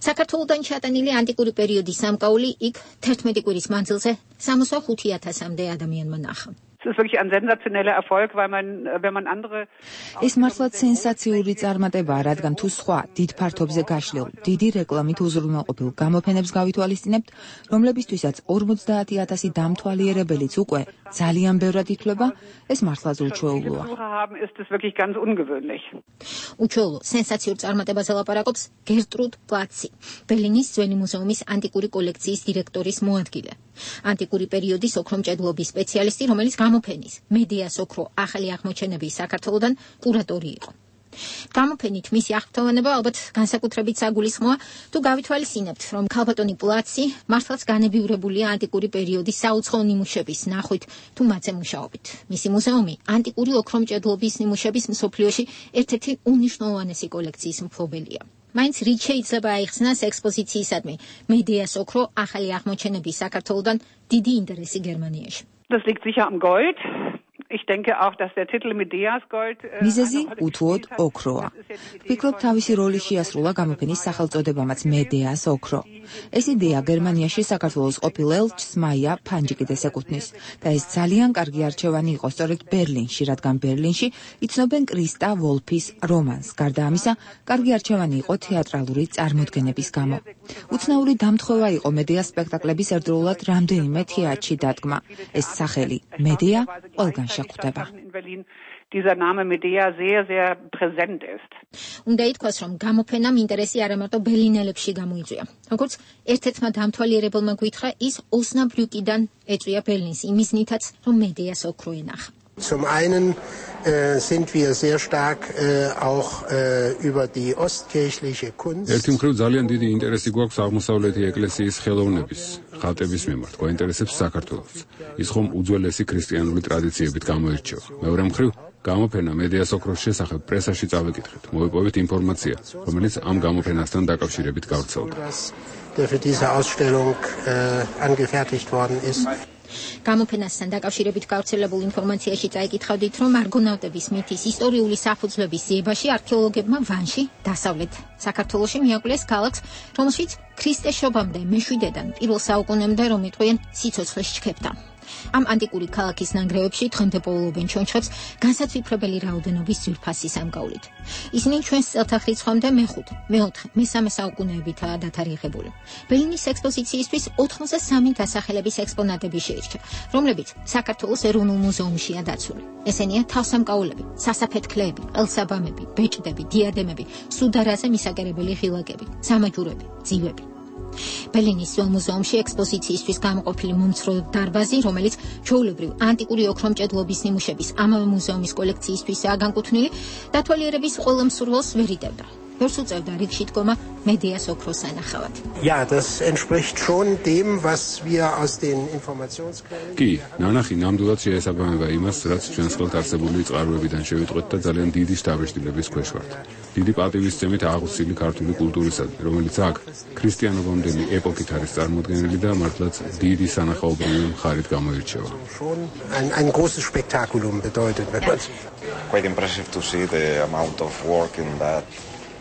საქართველოდან ჩატანილი ანტიკური პერიოდის სამკაული იქ 11 კვირის მანძილზე 65,000-მდე ადამიანმა ნახა. ეს მართლაც სენსაციური წარმატებაა, რადგან თუ სხვა დიდ ფართობზე გაშლილ, დიდი რეკლამით უზრუნველყოფილ გამოფენებს გავითვალისწინებთ, რომლებისთვისაც 50,000 დამთვალიერებელიც უკვე ძალიან ბევრად ითვლება, ეს მართლაც უჩვეულოა. უჩვეულო სენსაციურ წარმატებაზე ლაპარაკობს გერტრუდ პლაცი, ბერლინის ძველი მუზეუმის ანტიკური კოლექციის დირექტორის მოადგილე. ანტიკური პერიოდის ოქრომჭედლობის სპეციალისტი, რომელიც გამოფენის მედეას ოქრო ახალი აღმოჩენების საქართველოდან კურატორი იყო. გამოფენით მისი აღფრთოვანება ალბათ განსაკუთრებით საგულისხმოა, თუ გავითვალისწინებთ, რომ ქალბატონი პლაცი მართლაც განებიურებულია ანტიკური პერიოდის საუცხოო ნიმუშების ნახვით თუ მათზე მუშაობით. მისი მუზეუმი ანტიკური ოქრომჭედლობის ნიმუშების მსოფლიოში ერთ-ერთი უნიშნულოვანესი კოლექციის მფლობელია. მაინც რით შეიძლება აიხსნას ექსპოზიციისადმი მედეას ოქრო ახალი აღმოჩენების საქართველოდან დიდი ინტერესი გერმანიაში. Das liegt sicher am Gold. Ich denke auch, dass der Titel Medeas Gold მიზეზი უთუოდ ოქროა. ვფიქრობ, თავისი როლი შეასრულა გამოფენის სახელწოდებამაც მედეას ოქრო. ეს იდეა გერმანიაში საქართველოს ყოფილ ელჩს მაია ფანჯიკიდეს ეკუთვნის და ეს ძალიან კარგი არჩევანი იყო სწორედ ბერლინში, რადგან ბერლინში იცნობენ კრისტა ვოლფის რომანს. გარდა ამისა, კარგი არჩევანი იყო თეატრალური წარმოდგენების გამო. უცნაური დამთხოვა იყო მედეას სპექტაკლების ერთდროულად რამდენიმე თეატრში დადგმა. ეს სახელი მედეა ყველგან შეხვდება. Dieser Name Medea sehr, sehr präsent ist. უნდა ითქვას, რომ გამოფენამ ინტერესი არა მარტო ბერლინელებში გამოიწვია. როგორც ერთ-ერთმა დამთვალიერებელმა გითხრა, ის ოსნაბრუკიდან ეწვია ბერლინს იმის ნითაც, რომ მედეას ოქრო ენახა. Zum einen sind wir sehr stark auch über die ostkirchliche Kunst. ერთი მხრივ ძალიან დიდი ინტერესი გვაქვს აღმოსავლეთი ეკლესიის ხელოვნების, ხატების მიმართ. გვაინტერესებს საქართველოს. ის ხომ უძველესი ქრისტიანული ტრადიციებით გამოირჩევა. მეორე მხრივ გამოფენა მედეას ოქროს შესახებ პრესაში წავეკითხეთ. მოვიპოვეთ ინფორმაცია, რომელიც ამ გამოფენასთან დაკავშირებით გავრცელდა. Der für diese Ausstellung angefertigt worden ist. გამოფენასთან დაკავშირებით გავრცელებულ ინფორმაციაში წაიკითხავდით, რომ არგონავტების მითის ისტორიული საფუძვლების ძიებაში არქეოლოგებმა ვანში, დასავლეთ საქართველოში მიაკვლიეს ქალაქს, რომელშიც ქრისტეს შობამდე მეშვიდედან პირველ საუკუნემდე რომ იტყვიან სიცოცხლეს ჩქეფდა. ამ ანტიკური ქალაქის ნანგრევებში დღემდე პოულობენ ჩონჩხებს განსაცვიფრებელი რაოდენობის ძვირფასი სამგავლით. ისინი ჩვენს წელთაღრიცხვამდე მე-5, მე-4, მე-3 საუკუნეებითაა დათარიღებული. ბერლინის ექსპოზიციისთვის 83 დასახელების ექსპონატები შეირჩა, რომლებიც საქართველოს ეროვნულ მუზეუმშია დაცული. ესენია თავსამკაულები, სასაფეთქლეები, ყელსაბამები, ბეჭდები, დიადემები, სუდარაზე მისაკერებელი ღილაკები, სამაჯურები, ძივები. ბერლინის მუზეუმში ექსპოზიციისთვის გამოყოფილი მომცრო დარბაზი, რომელიც ჩვეულებრივ ანტიკური ოქრომჭედლობის ნიმუშების ამავე მუზეუმის კოლექციისთვისაა განკუთვნილი, დათვალიერების ყველა მსურველს ვერ იტევდა. ვერც უწევდა რიგში დგომა მედეას ოქროს ანახავად. Ja, das entspricht schon dem, was wir aus den Informationsquellen. კი, ნანახი ნამდვილად შეესაბამება იმას, რაც ჩვენს ხელთ არსებული წყაროებიდან შევიტყვეთ და ძალიან დიდი შთაბეჭდილების ქვეშ ვართ. დიდი პატივისცემით აღუსილი ქართული კულტურისადმი, რომელიც აქ ქრისტიანობამდელი ეპოქით არის წარმოდგენილი და მართლაც დიდი სანახაობრივი მხარით გამოირჩევა. Ein großes Spektakulum bedeutet. Quite impressive to see the amount of work in that.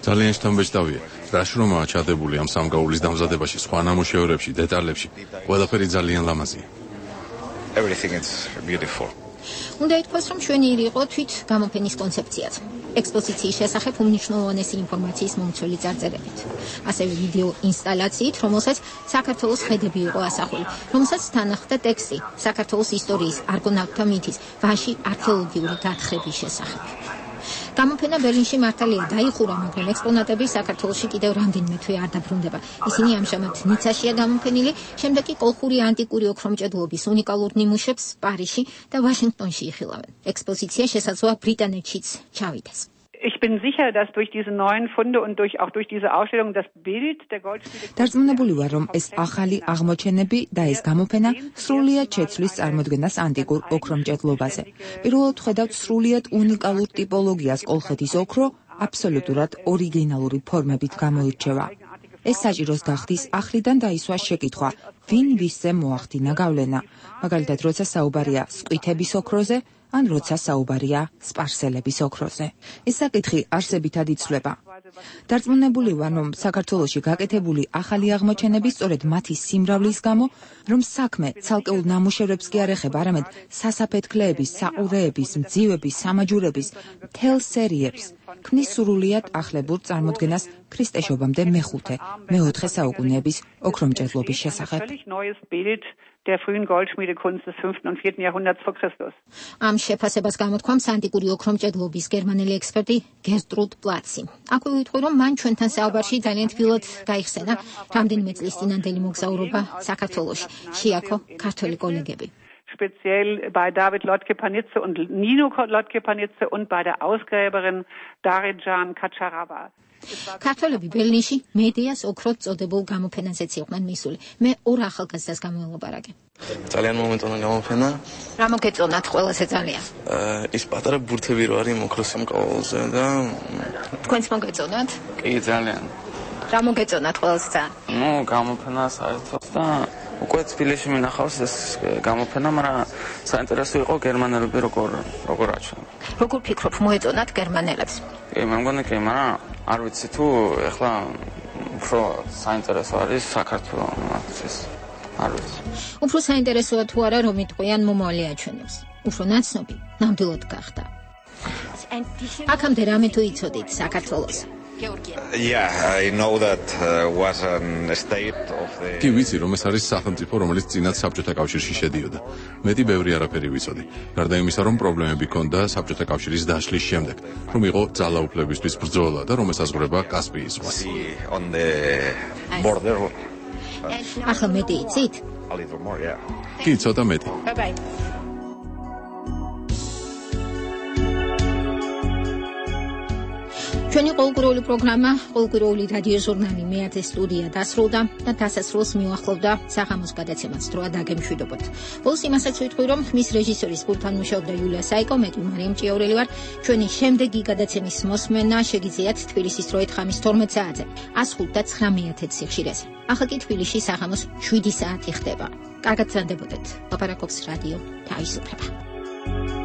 ძალიან შთამბეჭდავია, რა შრომაა ჩადებული ამ სამგაულის დამზადებაში, სხვა ნამუშევრებში, დეტალებში. ყველაფერი ძალიან ლამაზია. Everything is beautiful. უნდა ითქვას, რომ შვენიერი იყო თვით გამოფენის კონცეფციაც. ექსპოზიციის შესახებ უმნიშვნელოვანესი ინფორმაციის მომცველი წარწერებით. ასევე ვიდეო ინსტალაციით, რომელსაც საქართველოს ხედები იყო ასახული, რომელსაც თან ახლდა ტექსტი საქართველოს ისტორიის, არგონავტთა მითის, ვანში არქეოლოგიური გათხრების შესახებ. გამოფენა ბერლინში მართალია დაიხურა, მაგრამ ექსპონატები საქართველოში კიდევ რამდენიმე თვე არ დაბრუნდება. ისინი ამჟამად ნიცაშია გამოფენილი, შემდეგ კი კოლხური ანტიკური ოქრომჭედლობის უნიკალურ ნიმუშებს პარიზში და ვაშინგტონში იხილავენ. ექსპოზიცია შესაძლოა ბრიტანეთშიც ჩავიდეს. Ich bin sicher, dass durch diese neuen Funde und auch durch diese Ausstellung das Bild der Goldschmiede. დარწმუნებული ვარ, რომ ეს ახალი აღმოჩენები და ეს გამოფენა სრულიად შეცვლის წარმოდგენას ანტიკურ ოქრომჭედლობაზე. პირველად ხედავთ სრულიად უნიკალურ ტიპოლოგიას კოლხეთის ოქრო აბსოლუტურად ორიგინალური ფორმებით გამოირჩევა. ეს საჭიროს გახდის ახლიდან დაისვას შეკითხვა, ვინ ვისზე მოახდინა გავლენა. მაგალითად, როცა საუბარია სყვითების ოქროზე, ან როცა საუბარია სპარსელების ოქროზე. ეს საკითხი არსებითად იცვლება. დარწმუნებული ვარ, რომ საქართველოში გაკეთებული ახალი აღმოჩენები სწორედ მათი სიმრავლის გამო, რომ საქმე ცალკეულ ნამუშევრებს კი არ ეხება, არამედ სასაფეთქლეების, საყურეების, მძივების, სამაჯურების, მთელ სერიებს, ქმნის სრულიად ახლებურ წარმოდგენას ქრისტეშობამდე მე-5, მე-4 საუკუნეების ოქრომჭედლობის შესახებ. Der frühen Goldschmiedekunst des 5. und 4. Jahrhunderts vor Christus. Am შეფასებას გამოთქვამს ანტიკური ოქრომჭედლობის გერმანელი ექსპერტი გერსტრუდ პლაცი. აქვე ვიტყვი, რომ მან ჩვენთან საუბარში ძალიან თბილად გაიხსენა რამდენიმე წლის წინანდელი მოგზაურობა საქართველოში. შეაქო ქართველი კოლეგები. speziell bei David Lotke-Panizze und Nino Lotke-Panizze und bei der Ausgräberin Darijan Kacharava. ქართველები ბერლინში მედიას ოქროთ წოდებულ გამოფენაზეც იყვნენ მისული. მე ორ ახალგაზრდას გამოვაპარაკე. ძალიან მომენტონა გამოფენა. რა მოგეწონათ ყველაზე ძალიან? ის პატარა ბურთები რო არის მოქროსი მკვლელზე და თქვენც მოგეწონათ? კი, ძალიან. რა მოგეწონათ ყველაზე ძალიან? ნუ გამოფენა საერთოდ და უკვე თბილისში მინახავს ეს გამოფენა, მაგრამ საინტერესო იყო გერმანელები როგორ აჩვენენ. როგორ ფიქრობ, მოეწონათ გერმანელებს? კი, მე მგონი კი, მაგრამ არ ვიცი თუ ეხლა უფრო საინტერესო არის საქართველოს არ ვიცი. უფრო საინტერესოა თუ არა რომ იტყვიან მომავალი აჩვენებს. უფრო ნაცნობი ნამდვილად გახდა. აქამდე რამე თუ იცოდით საქართველოს? Yeah, I know that was a state of the კი ვიცი რომ ეს არის სახელმწიფო რომელიც წინათ საბჭოთა კავშირში შედიოდა. მეტი ბევრი არაფერი ვიცოდი. გარდა იმისა რომ პრობლემები ჰქონდა საბჭოთა კავშირის დაშლის შემდეგ, რომ იყო ძალაუფლებისთვის ბრძოლა და რომ ესაზღვრება კასპიის ზღვას. on the border. ახლა მეტი იცით? A little more, yeah. კი, ცოტა მეტი. Bye bye. ჩვენი ყოველკვირეული პროგრამა, ყოველკვირეული რადიო ჟურნალი მეათე სტუდია დასრულდა და დასასრულს მიუახლოვდა საღამოს გადაცემას დროა დაგემშვიდობოთ. ბოლოს იმასაც ვიტყვი, რომ ხმის რეჟისორის პულტთან მუშაობდა იულია საიკო, მე კი მარიამ ჭიაურელი ვარ. ჩვენი შემდეგი გადაცემის მოსმენა შეგიძლიათ თბილისის დროით ხამის 12 საათზე, 105 და 9 სიხშირეზე. ახლა კი თბილისში საღამოს 7 საათი ხდება. კარგად გრძანდებოდეთ. ლაპარაკობს რადიო თავისუფლება.